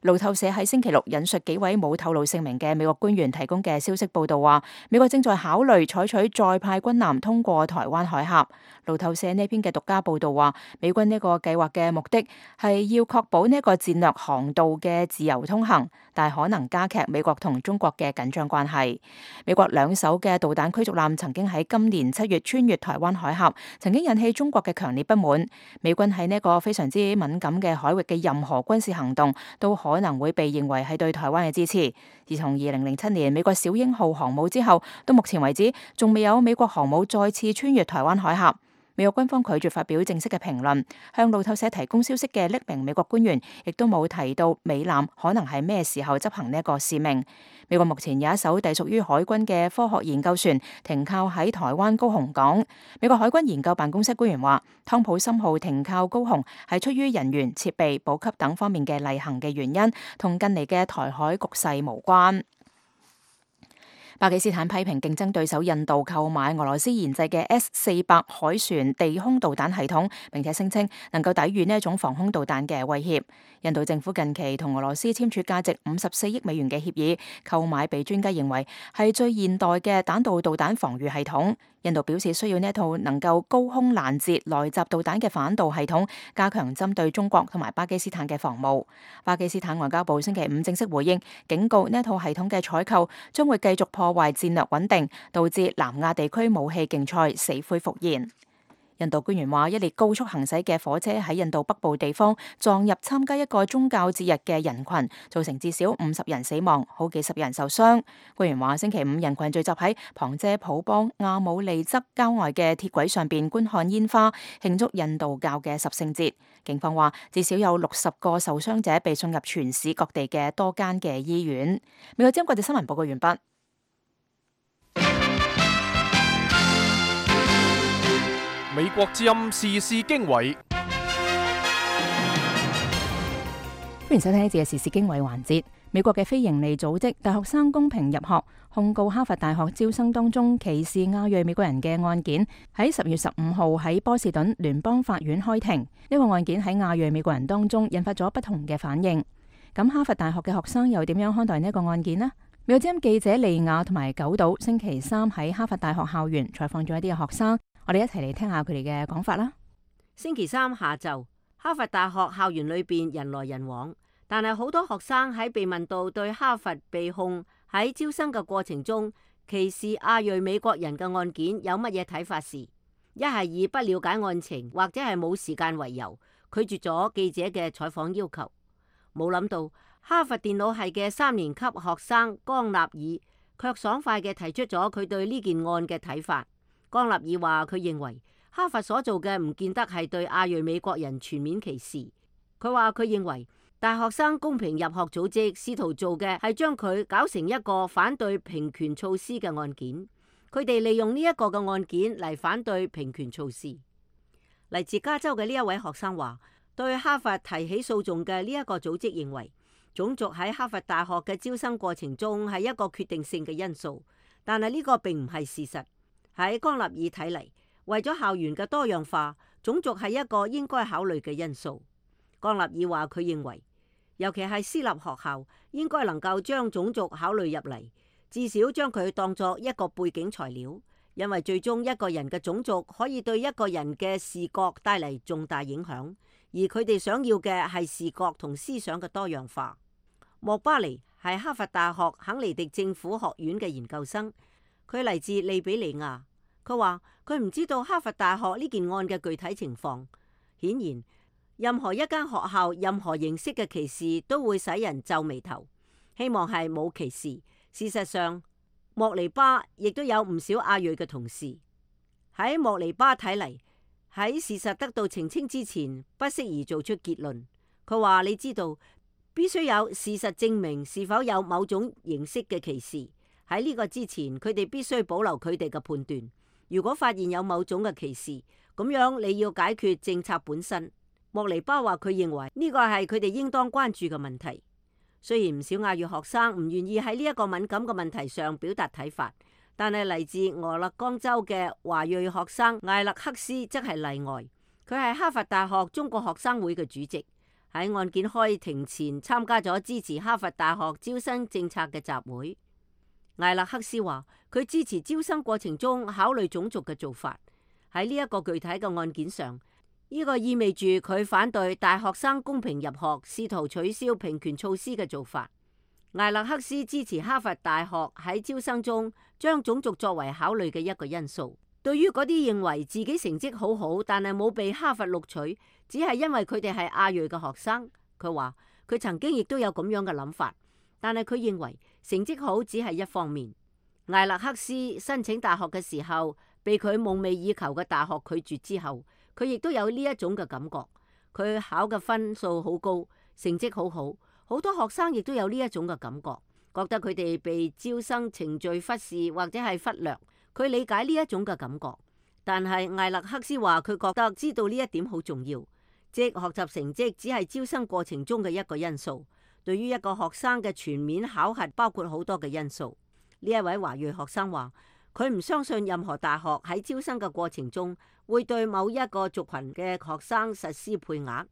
路透社喺星期6引述幾位冇透露姓名嘅美國官員提供嘅消息報道話，美國正在考慮採取再派軍艦通過台灣海峽。路透社呢篇嘅獨家報道話，美軍呢個計劃嘅目的係要確保呢個戰略航道嘅自由通行，但係可能加劇美國同中國嘅緊張關係。美國2艘嘅導彈驅逐艦曾經喺今年7月穿越台灣海峽，曾經引起中國嘅強烈不滿。美軍喺呢個非常之敏感嘅海域嘅任何軍事行動都可能會被認為係對台灣嘅支持。自從2007年美國小鷹號航母之後，到目前為止仲未有美國航母再次穿越台灣海峽。美國軍方拒絕發表正式嘅評論，向路透社提供消息嘅匿名美國官員亦都冇提到美艦可能係咩時候執行呢一個使命。美國目前有一艘隸屬於海軍嘅科學研究船停靠喺台灣高雄港。美國海軍研究辦公室官員話，湯普森號停靠高雄係出於人員、設備、補給等方面嘅例行嘅原因，同近嚟嘅台海局勢無關。巴基斯坦批評競爭對手印度購買俄羅斯研製嘅 S-400海船地空導彈系統，並且聲稱能夠抵禦呢一種防空導彈嘅威脅。印度政府近期同俄羅斯簽署價值54億美元嘅協議，購買被專家認為係最現代嘅彈道導彈防禦系統。印度表示需要呢一套能夠高空攔截來襲導彈嘅反導系統，加強針對中國同埋巴基斯坦嘅防務。巴基斯坦外交部星期五正式回應，警告呢一套系統嘅採購將會繼續破壞戰略穩定，導致南亞地區武器競賽死灰復燃。印度官員話，一列高速行駛嘅火車喺印度北部地方撞入參加一個宗教節日嘅人群，造成至少50人死亡，好幾十人受傷。官員話，星期五人群聚集喺旁遮普邦亞姆利則郊外嘅鐵軌上邊觀看煙花，慶祝印度教嘅十聖節。警方話，至少有60個受傷者被送入全市各地嘅多間嘅醫院。美國之音國際新聞報告完畢。美國之音時事經緯，歡迎收聽呢節嘅時事經緯環節。美國嘅非營利組織大學生公平入學控告哈佛大學招生當中歧視亞裔美國人嘅案件，喺10月15號喺波士頓聯邦法院開庭。呢個案件喺亞裔美國人當中引發咗不同嘅反應。咁哈佛大學嘅學生又點樣看待呢個案件呢？美國之音記者利亞同埋九島星期三喺哈佛大學校園採訪咗一啲嘅學生。我哋一齊嚟聽下佢哋嘅講法啦。星期三下晝，哈佛大學校園裏邊人來人往，但係好多學生喺被問到對哈佛被控喺招生嘅過程中歧視亞裔美國人嘅案件有乜嘢睇法時，一係以不了解案情或者係冇時間為由拒絕咗記者嘅採訪要求。冇諗到哈佛電腦系嘅3年級學生江納爾卻爽快嘅提出咗佢對呢件案嘅睇法。江納爾話佢認為哈佛所做嘅唔見得係對亞裔美國人全面歧視。佢話佢認為大學生公平入學組織試圖做嘅係將佢搞成一個反對平權措施嘅案件。佢哋利用呢一個嘅案件嚟反對平權措施。嚟自加州嘅呢一位學生話，對哈佛提起訴訟嘅呢一個組織認為種族喺哈佛大學嘅招生過程中係一個決定性嘅因素，但係呢個並唔係事實。喺江納爾睇嚟，為咗校園嘅多樣化，種族係一個應該考慮嘅因素。江納爾話佢認為，尤其係私立學校，應該能夠將種族考慮入嚟，至少將佢當作一個背景材料，因為最終一個人嘅種族可以對一個人嘅視覺帶嚟重大影響，而佢哋想要嘅係視覺同思想嘅多樣化。莫巴尼係哈佛大學肯尼迪政府學院嘅研究生，佢嚟自利比里亞。佢話佢唔知道哈佛大學呢件案嘅具體情況。顯然，任何一間學校任何形式嘅歧視都會使人皺眉頭。希望係冇歧視。事實上，莫尼巴亦都有唔少亞裔嘅同事。喺莫尼巴睇嚟，喺事實得到澄清之前，不適宜做出結論。佢話你知道，必須有事實證明是否有某種形式嘅歧視。喺呢個之前，佢哋必須保留佢哋嘅判斷。如果發現有某種嘅歧視，咁樣你要解決政策本身。莫尼巴話佢認為呢個係佢哋應當關注嘅問題。雖然唔少亞裔學生唔願意喺呢一個敏感嘅問題上表達睇法，但係嚟自俄勒岡州嘅華裔學生艾勒克斯則係例外。佢係哈佛大學中國學生會嘅主席，喺案件開庭前參加咗支持哈佛大學招生政策嘅集會。艾勒克斯話佢支持招生過程中考慮種族嘅做法。喺呢一個具體嘅案件上，呢個意味住佢反對大學生公平入學，試圖取消平權措施嘅做法。艾勒克斯支持哈佛大學喺招生中將種族作為考慮嘅一個因素。對於嗰啲認為自己成績好好，但係冇被哈佛錄取，只係因為佢哋係亞裔嘅學生，佢話佢曾經亦都有咁樣嘅諗法，但係佢認為成績好只係一方面。艾勒克斯申請大學嘅時候，被佢夢寐以求嘅大學拒絕之後，佢亦都有呢一種嘅感覺。佢考嘅分數好高，成績好好，好多學生亦都有呢一種嘅感覺，覺得佢哋被招生程序忽視或者係忽略。佢理解呢一種嘅感覺，但係艾勒克斯話佢覺得知道呢一點好重要，即學習成績只係招生過程中嘅一個因素。對於一個學生嘅全面考核包括好多嘅因素。呢一位華裔學生話，佢唔相信任何大學喺招生嘅過程中會對某一個族群嘅學生實施配額。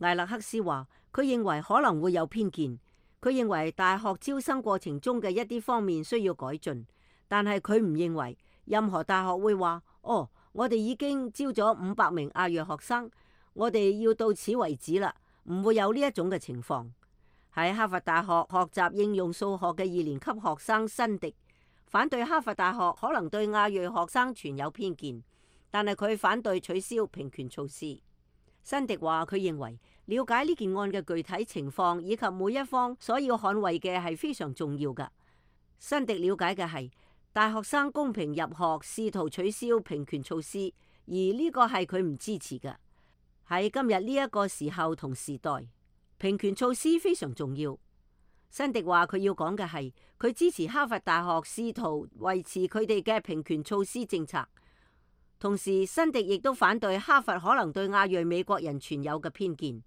艾勒克斯話，佢認為可能會有偏見，佢認為大學招生過程中嘅一啲方面需要改進，但係佢唔認為任何大學會話，哦，我哋已經招咗500名亞裔學生，我哋要到此為止啦，唔會有呢一種嘅情況。喺哈佛大學學習應用數學嘅2年級學生辛迪反對哈佛大學可能對亞裔學生存有偏見，但係佢反對取消平權措施。辛迪話佢認為了解呢件案嘅具體情況以及每一方所要捍衛嘅係非常重要㗎。辛迪了解嘅係大學生公平入學試圖取消平權措施，而呢個係佢唔支持嘅。喺今日呢一個時候同時代，平權措施非常重要。辛迪話佢要講嘅係佢支持哈佛大學試圖維持佢哋嘅平權措施政策。同時，辛迪亦都反對哈佛可能對亞裔美國人存有嘅偏見。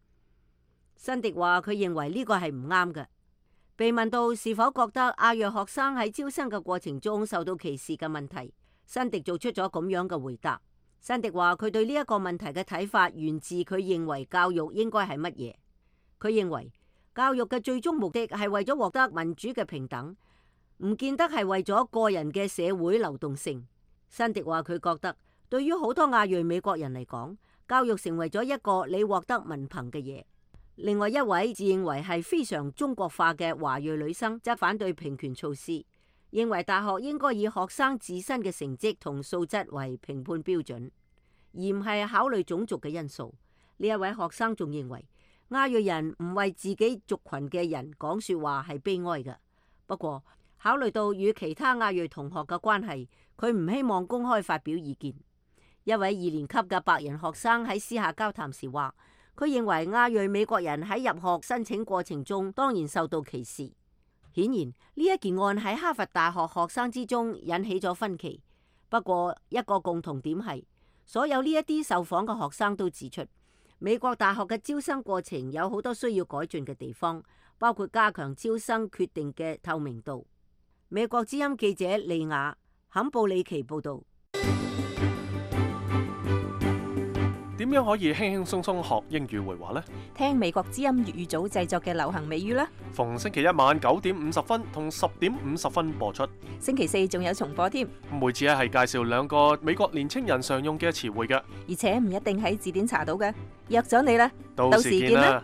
辛迪話佢認為呢個係唔啱嘅。被問到是否覺得亞裔學生喺招生嘅過程中受到歧視嘅問題，辛迪做出咗咁樣嘅回答。辛迪話佢對呢一個問題嘅睇法源自佢認為教育應該係乜嘢。佢認為教育嘅最終目的係為咗獲得民主嘅平等，唔見得係為咗個人嘅社會流動性。辛迪話佢覺得對於好多亞裔美國人嚟講，教育成為咗一個你獲得文憑嘅嘢。另外一位自認為係非常中國化嘅華裔女生則反對平權措施，認為大學應該以學生自身嘅成績同素質為評判標準，而唔係考慮種族嘅因素。呢一位學生仲認為亞裔人唔為自己族群嘅人講說話係悲哀嘅。不過考慮到與其他亞裔同學嘅關係，佢唔希望公開發表意見。一位2年級嘅白人學生喺私下交談時話，佢認為亞裔美國人喺入學申請過程中當然受到歧視。顯然呢一件案喺哈佛大學學生之中引起咗分歧。不過一個共同點係，所有呢一啲受訪嘅學生都指出，美國大學嘅招生過程有好多需要改進嘅地方，包括加強招生決定嘅透明度。美國之音記者利亞坎布里奇報道。點樣可以輕輕鬆鬆學英語會話呢？聽美國之音粵語組製作嘅流行美語啦。逢星期一晚9點50分同10點50分播出。星期4仲有重播添。每次係介紹2個美國年青人常用嘅詞彙嘅，而且唔一定喺字典查到嘅。約咗你啦，到時見啦。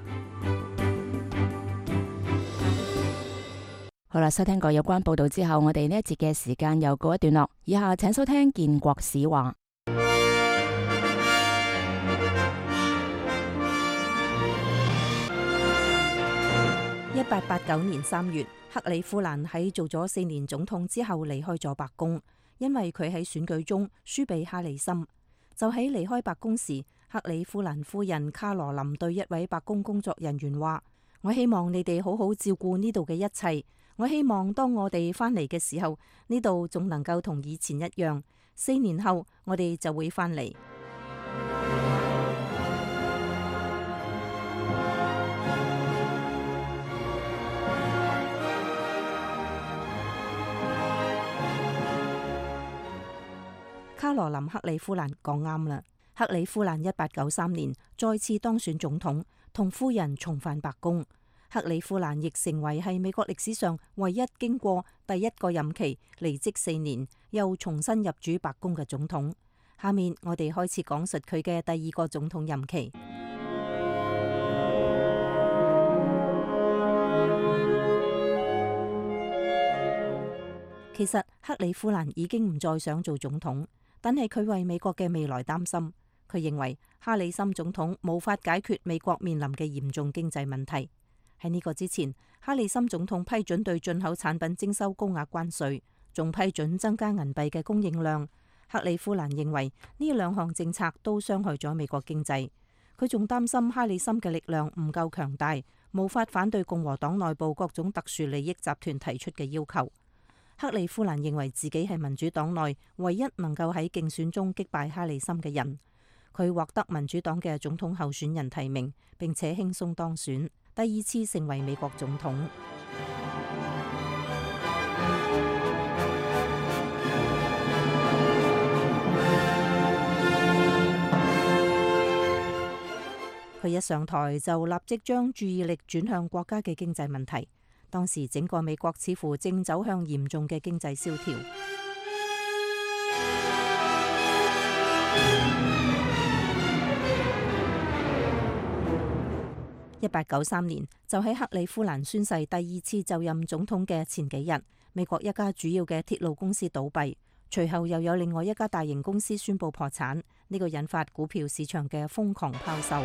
好啦，收聽過有關報道之後，我哋呢一節嘅時間又告一段落。以下請收聽建國史話。1889年3月，克里夫蘭喺做咗4年總統之後離開咗白宮，因為佢喺選舉中輸俾哈里森。就喺離開白宮時，克里夫蘭夫人卡羅琳對一位白宮工作人員話：我希望你哋好好照顧呢度嘅一切。我希望當我哋返嚟嘅時候，呢度仲能夠同以前一樣。4年後，我哋就會返嚟。卡羅琳克里夫蘭講啱啦。克里夫蘭1893年再次當選總統，同夫人重返白宮。克里夫蘭亦成為係美國歷史上唯一經過第一個任期離職4年又重新入主白宮嘅總統。下面我哋開始講述佢嘅第2個總統任期。其實克里夫蘭已經唔再想做總統，但係佢為美國嘅未來擔心。佢認為哈里森總統無法解決美國面臨嘅嚴重經濟問題。喺呢個之前，哈里森總統批准對進口產品徵收高額關稅，仲批准增加銀幣嘅供應量。克里夫蘭認為呢2項政策都傷害咗美國經濟。佢仲擔心哈里森嘅力量唔夠強大，無法反對共和黨內部各種特殊利益集團提出嘅要求。克里夫蘭認為自己係民主黨內唯一能夠喺競選中擊敗哈里森嘅人。佢獲得民主黨嘅總統候選人提名，並且輕鬆當選，第2次成為美國總統。佢一上台就立即將注意力轉向國家嘅經濟問題。當時整個美國似乎正走向嚴重嘅經濟蕭條。1893年就喺克里夫蘭宣誓第2次就任總統嘅前幾日，美國一家主要嘅鐵路公司倒閉，隨後又有另外一家大型公司宣布破產，呢個引發股票市場嘅瘋狂拋售。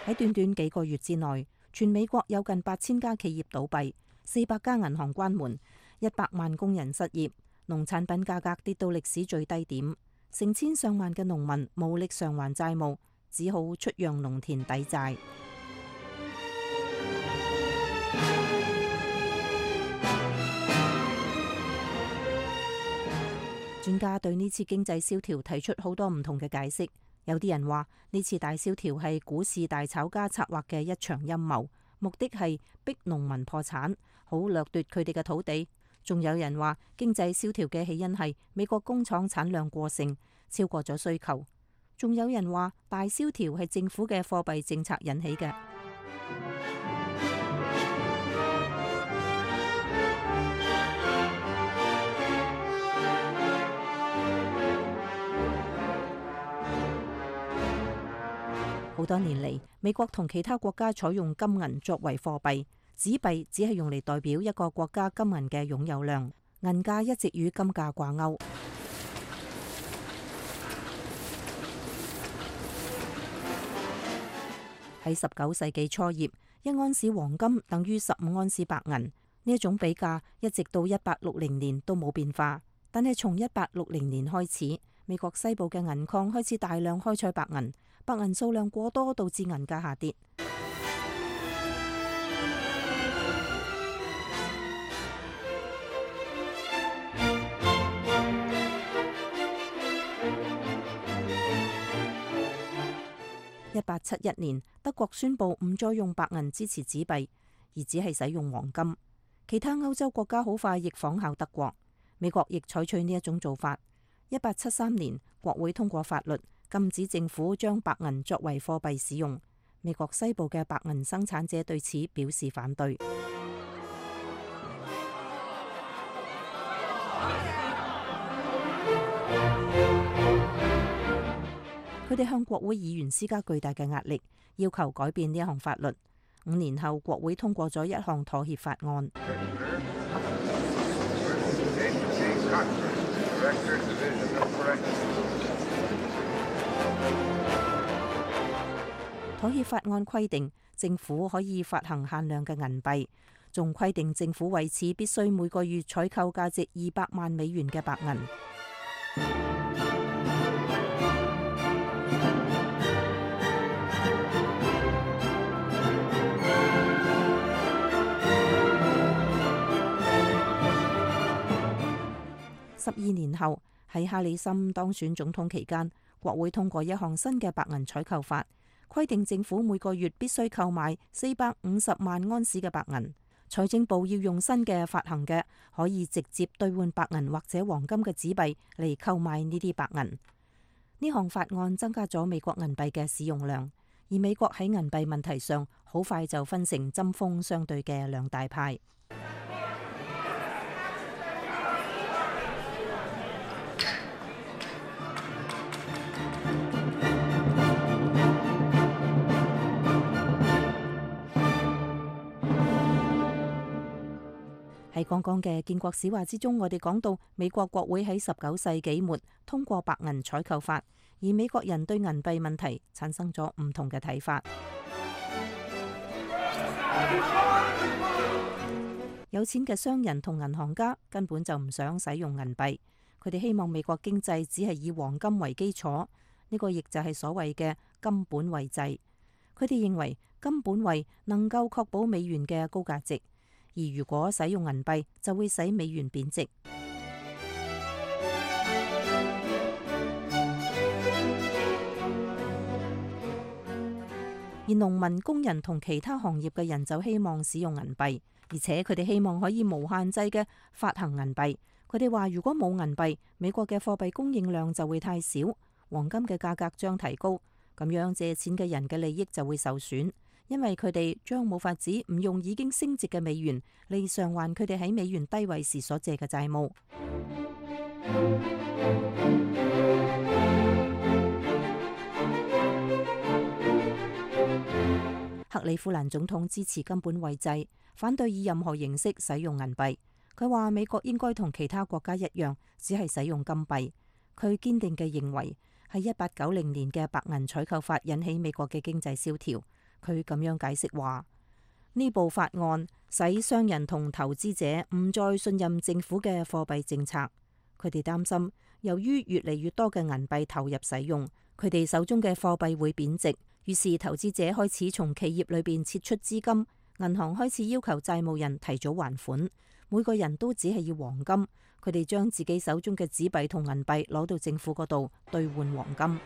喺短短幾個月之內，全美國有近8000家企業倒閉，400家銀行關門，100萬工人失業。農產品價格跌到歷史最低點，成千上萬嘅農民無力償還債務，只好出讓農田抵債。專家對呢次經濟蕭條提出好多唔同嘅解釋，有啲人話呢次大蕭條係股市大炒家策劃嘅一場陰謀，目的係逼農民破產，好掠奪佢哋嘅土地。仲有人話經濟蕭條嘅起因係美國工廠產量過剩，超過咗需求。仲有人話大蕭條係政府嘅貨幣政策引起嘅。好多年嚟，美國同其他國家採用金銀作為貨幣。紙幣只係用嚟代表一個國家金銀嘅擁有量，銀價一直與金價掛鈎。喺19世紀初葉，1盎司黃金等於15盎司白銀，呢一種比價一直到1860年都冇變化。但係從1860年開始，美國西部嘅銀礦開始大量開採白銀，白銀數量過多導致銀價下跌。1871年，德國宣布唔再用白銀支持紙幣，而只係使用黃金。其他歐洲國家好快亦仿效德國，美國亦採取呢一種做法。1873年，國會通過法律禁止政府將白銀作為貨幣使用。美國西部嘅白銀生產者對此表示反對。佢哋向國會議員施加巨大嘅壓力，要求改變呢一項法律。5年後，國會通過咗一項妥協法案。妥協法案規定，政府可以發行限量嘅銀幣，仲規定政府為此必須每個月採購價值200萬美元嘅白銀。12年後，喺哈里森當選總統期間，國會通過一項新嘅白銀採購法，規定政府每個月必須購買450萬盎司嘅白銀。財政部要用新嘅發行嘅可以直接兌換白銀或者黃金嘅紙幣嚟購買呢啲白銀。呢項法案增加咗美國銀幣嘅使用量，而美國喺銀幣問題上好快就分成針鋒相對嘅兩大派。喺剛剛嘅建國史話之中，我哋講到美國國會喺19世紀末通過白銀採購法，而美國人對銀幣問題產生咗唔同嘅睇法。有錢嘅商人同銀行家根本就唔想使用銀幣，佢哋希望美國經濟只係以黃金為基礎，呢個亦就係所謂嘅金本位制。佢哋認為金本位能夠確保美元嘅高價值。而如果使用銀幣，就會使美元貶值。而農民、工人同其他行業嘅人就希望使用銀幣，而且佢哋希望可以無限制嘅發行銀幣，佢哋話如果冇銀幣，美國嘅貨幣供應量就會太少，黃金嘅價格將提高，咁樣借錢嘅人嘅利益就會受損，因為佢哋將冇法子唔用已經升值嘅美元嚟償還佢哋喺美元低位時所借嘅債務。克里夫蘭總統支持金本位制，反對以任何形式使用銀幣。佢話美國應該同其他國家一樣，只係使用金幣。佢堅定嘅認為係1890年嘅白銀採購法引起美國嘅經濟蕭條。佢咁樣解釋話，呢部法案使商人同投資者唔再信任政府嘅貨幣政策。佢哋擔心，由於越嚟越多嘅銀幣投入使用，佢哋手中嘅貨幣會貶值。於是投資者開始從企業裏邊撤出資金，銀行開始要求債務人提早還款。每個人都只係要黃金，佢哋將自己手中嘅紙幣同銀幣攞到政府嗰度兌換黃金。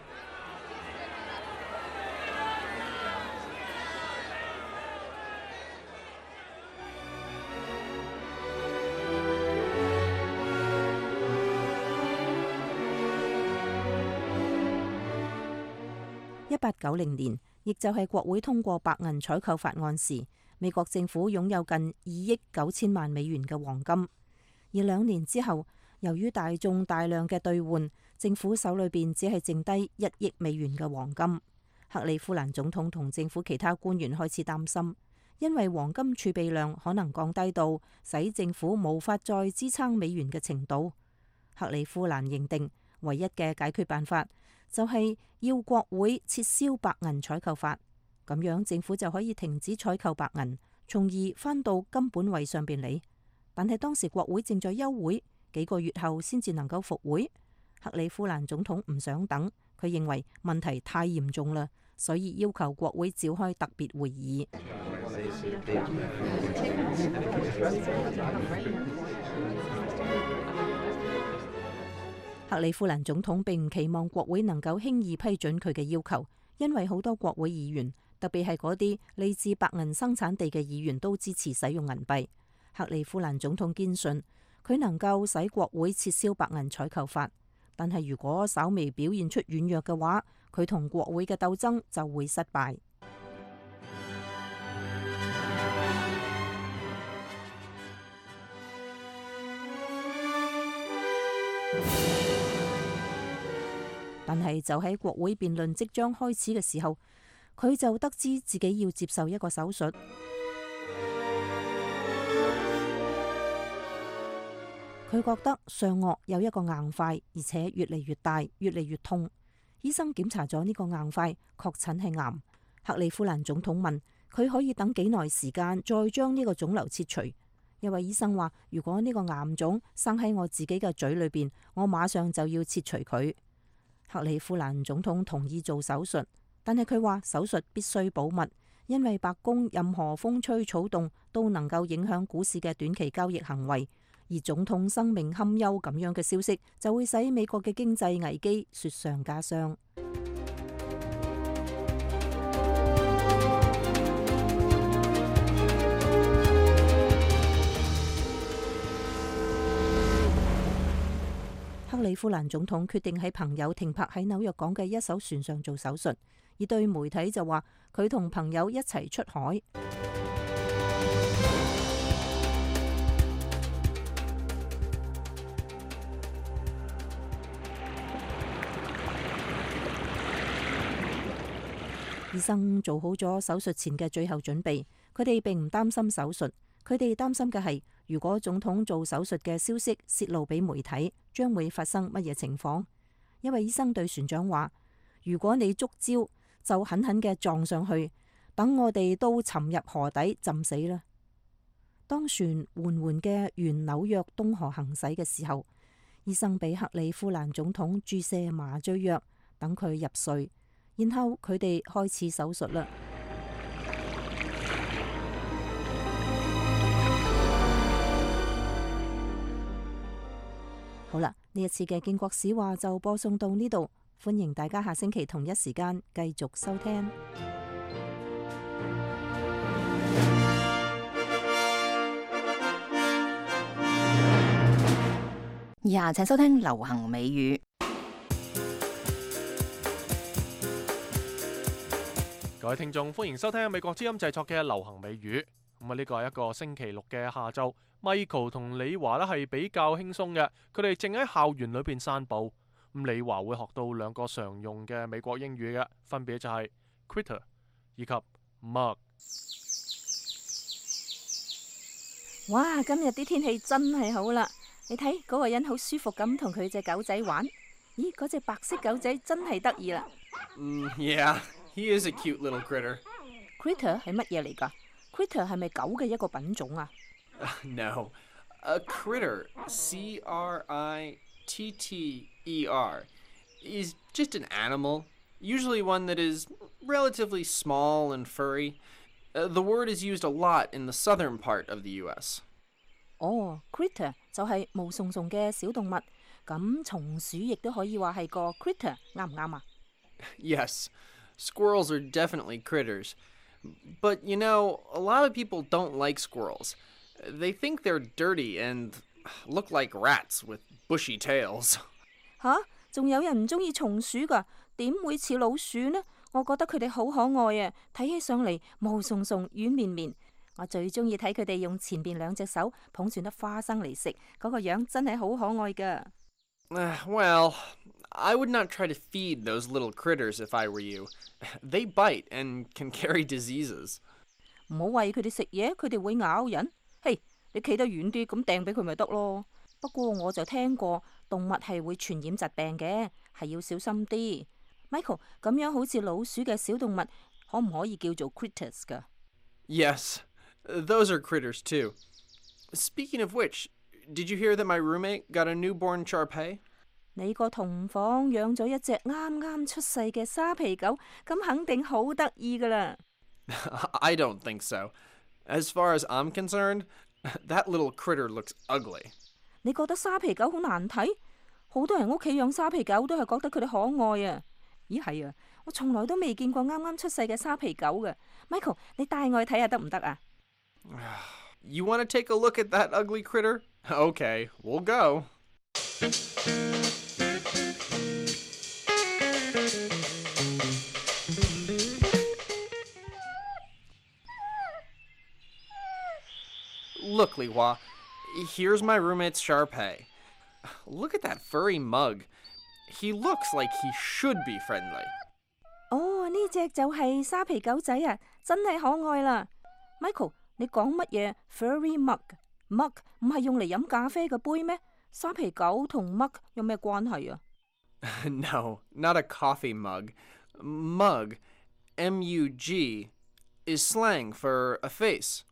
1890年，亦就係國會通過白銀採購法案時，美國政府擁有近2億9千萬美元嘅黃金。而2年之後，由於大眾大量嘅兌換，政府手裏邊只係剩低1億美元嘅黃金。克里夫蘭總統同政府其他官員開始擔心，因為黃金儲備量可能降低到使政府無法再支撐美元嘅程度。克里夫蘭認定唯一嘅解決辦法就係要國會撤銷白銀採購法，咁樣政府就可以停止採購白銀，從而返到金本位上邊嚟。但係當時國會正在休會，幾個月後先至能夠復會。克里夫蘭總統唔想等，佢認為問題太嚴重啦，所以要求國會召開特別會議。克里夫蘭總統並唔期望國會能夠輕易批准佢嘅要求，因為好多國會議員，特別係嗰啲嚟自白銀生產地嘅議員，都支持使用銀幣。克里夫蘭總統堅信佢能夠使國會撤銷白銀採購法，但係如果稍微表現出軟弱嘅話，佢同國會嘅鬥爭就會失敗。但係就喺國會辯論即將開始嘅時候，佢就得知自己要接受一個手術。佢覺得上顎有一個硬塊，而且越嚟越大，越嚟越痛。醫生檢查咗呢個硬塊，確診係癌。克里夫蘭總統問佢可以等幾耐時間再將呢個腫瘤切除。一位醫生話，如果呢個癌腫生喺我自己嘅嘴裏邊，我馬上就要切除佢。克里夫蘭總統同意做手術，但係佢話手術必須保密，因為白宮任何風吹草動都能夠影響股市嘅短期交易行為。而總統生命堪憂咁樣嘅消息，就會使美國嘅經濟危機雪上加霜。克里夫蘭總統決定喺朋友停泊喺紐約港嘅一艘船上做手術，而對媒體就話佢同朋友一齊出海。醫生做好咗手術前嘅最後準備，佢哋並唔擔心手術，佢哋擔心嘅係如果總統做手術嘅消息泄露俾媒體，將會發生乜嘢情況。一位醫生對船長話：如果你觸礁，就狠狠嘅撞上去，等我哋都沉入河底浸死啦。當船緩緩嘅沿紐約東河行駛嘅時候，醫生俾克里夫蘭總統注射麻醉藥，等佢入睡。然後佢哋開始手術啦。好啦，呢一次嘅建國史話就播送到呢度，歡迎大家下星期同一時間繼續收聽。以下請收聽流行美語。各位聽眾，歡迎收聽美國之音製作嘅流行美語。咁呢個係一個星期六嘅下晝，Michael 同李華呢係比較輕鬆嘅，佢哋正喺校園裏邊散步。咁李華會學到兩個常用嘅美國英語嘅，分別就係 critter 以及 mug。哇！今日啲天氣真係好啦，你睇嗰個人好舒服咁同佢隻狗仔玩。咦，嗰隻白色狗仔真係得意啦。Yeah, he is a cute little critter. Critter 係乜嘢嚟㗎？Critter 係咪狗嘅一個品種啊No, a critter, C-R-I-T-T-E-R, is just an animal, usually one that is relatively small and furry. The word is used a lot in the southern part of the U.S. 哦，critter 就係毛鬆鬆嘅小動物，咁松鼠亦都可以話係個 critter，啱唔啱啊？ Yes, squirrels are definitely critters. But, you know, a lot of people don't like squirrels. They think they're dirty and look like rats with bushy tails. 吓，仲有人唔中意松鼠㗎，點會似老鼠呢？我覺得佢哋好可愛啊，睇起上嚟毛鬆鬆、軟綿綿。我最中意睇佢哋用前邊兩隻手捧住粒花生嚟食，嗰個樣真係好可愛㗎。Well, I would not try to feed those little critters if I were you. They bite and can carry diseases. 唔好餵佢哋食嘢，佢哋會咬人。嘿，你企得遠啲，咁掟俾佢咪得咯。不過我就聽過動物係會傳染疾病嘅，係要小心啲。Michael， 咁樣好似老鼠嘅小動物，可唔可以叫做 critters 㗎？ Yes, those are critters too. Speaking of which, did you hear that my roommate got a newborn Shar-Pei? 你個同房養咗一隻啱啱出世嘅沙皮狗，咁肯定好得意㗎啦。I don't think so. As far as I'm concerned, that little critter looks ugly. 你覺得沙皮狗好難睇？好多人屋企養沙皮狗都係覺得佢哋可愛啊。咦係啊，我從來都未見過啱啱出世嘅沙皮狗嘅。Michael， 你帶我去睇下得唔得啊？ You want to take a look at that ugly critter? Okay, we'll go. Look, Li Hua, here's my roommate's Shar-Pei. Look at that furry mug. He looks like he should be friendly. 哦，呢隻就係沙皮狗仔啊，真係可愛啦。Michael， 你講乜嘢 furry mug？mug 唔係用嚟飲咖啡嘅杯咩？沙皮狗同 mug 有咩關係啊？ No, not a coffee mug. Mug, M-U-G, is slang for a face,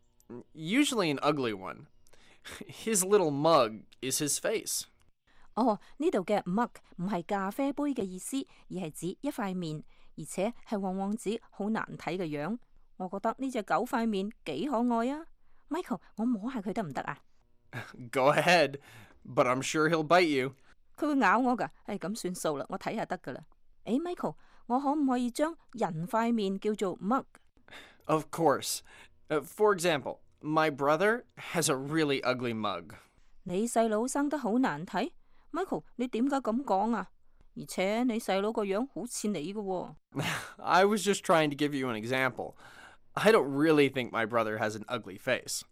usually an ugly one. His little mug is his face. 哦，呢度嘅 mug 唔係咖啡杯嘅意思，而係指一塊面，而且係往往指好難睇嘅樣。我覺得呢隻狗塊面幾可愛啊。Michael， 我摸下佢得唔得啊？ Go ahead, but I'm sure he'll bite you. 佢會咬我㗎，咁算數啦，我睇下得㗎啦。Michael， 我可唔可以將人塊面叫做 mug？ Of course. For example, my brother has a really ugly mug. 你細佬生得好難睇 ，Michael， 你點解咁講啊？而且你細佬個樣好似你㗎喎。I was just trying to give you an example. I don't really think my brother has an ugly face.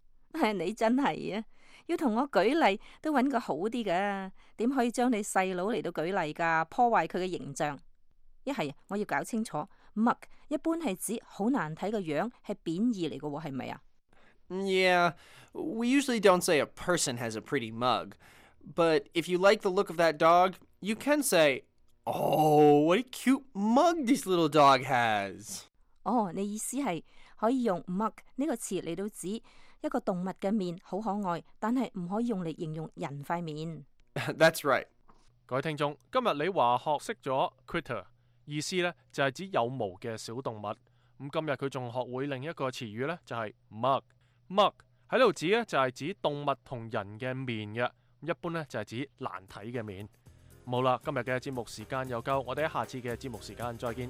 你真係啊！要同我舉例都揾個好啲㗎，點可以將你細佬嚟到舉例㗎？破壞佢嘅形象。一係我要搞清楚 ，mug 一般係指好難睇嘅樣，係貶義嚟嘅喎，係咪啊？ Yeah, we usually don't say a person has a pretty mug. But if you like the look of that dog, you can say, "Oh, what a cute mug this little dog has." 哦，你意思係可以用 mug 呢個詞嚟到指一個動物嘅面好可愛，但係唔可以用嚟形容人塊面。That's right. 各位聽眾，今日你話學識咗 critter， 意思呢就係指有毛嘅小動物。咁今日佢仲學會另一個詞語呢，就係 mug。mug 喺度指呢就係指動物同人嘅面嘅，一般呢就係指難睇嘅面。好啦，今日嘅節目時間又夠，我哋喺下次嘅節目時間再見。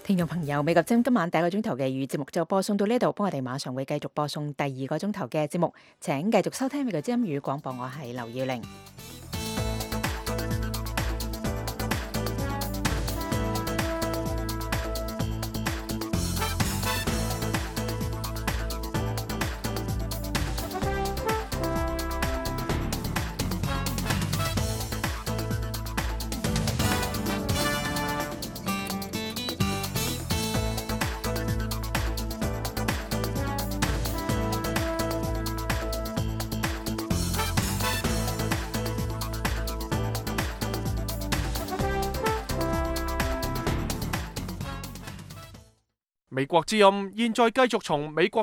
聽聽眾朋友，美國今晚第一個鐘頭嘅粵語節目就播送到呢度，幫我哋馬上會繼續播送第二個鐘頭嘅節目，請繼續收聽美國之音語廣播，我係劉耀玲。美國之音現在繼續從美國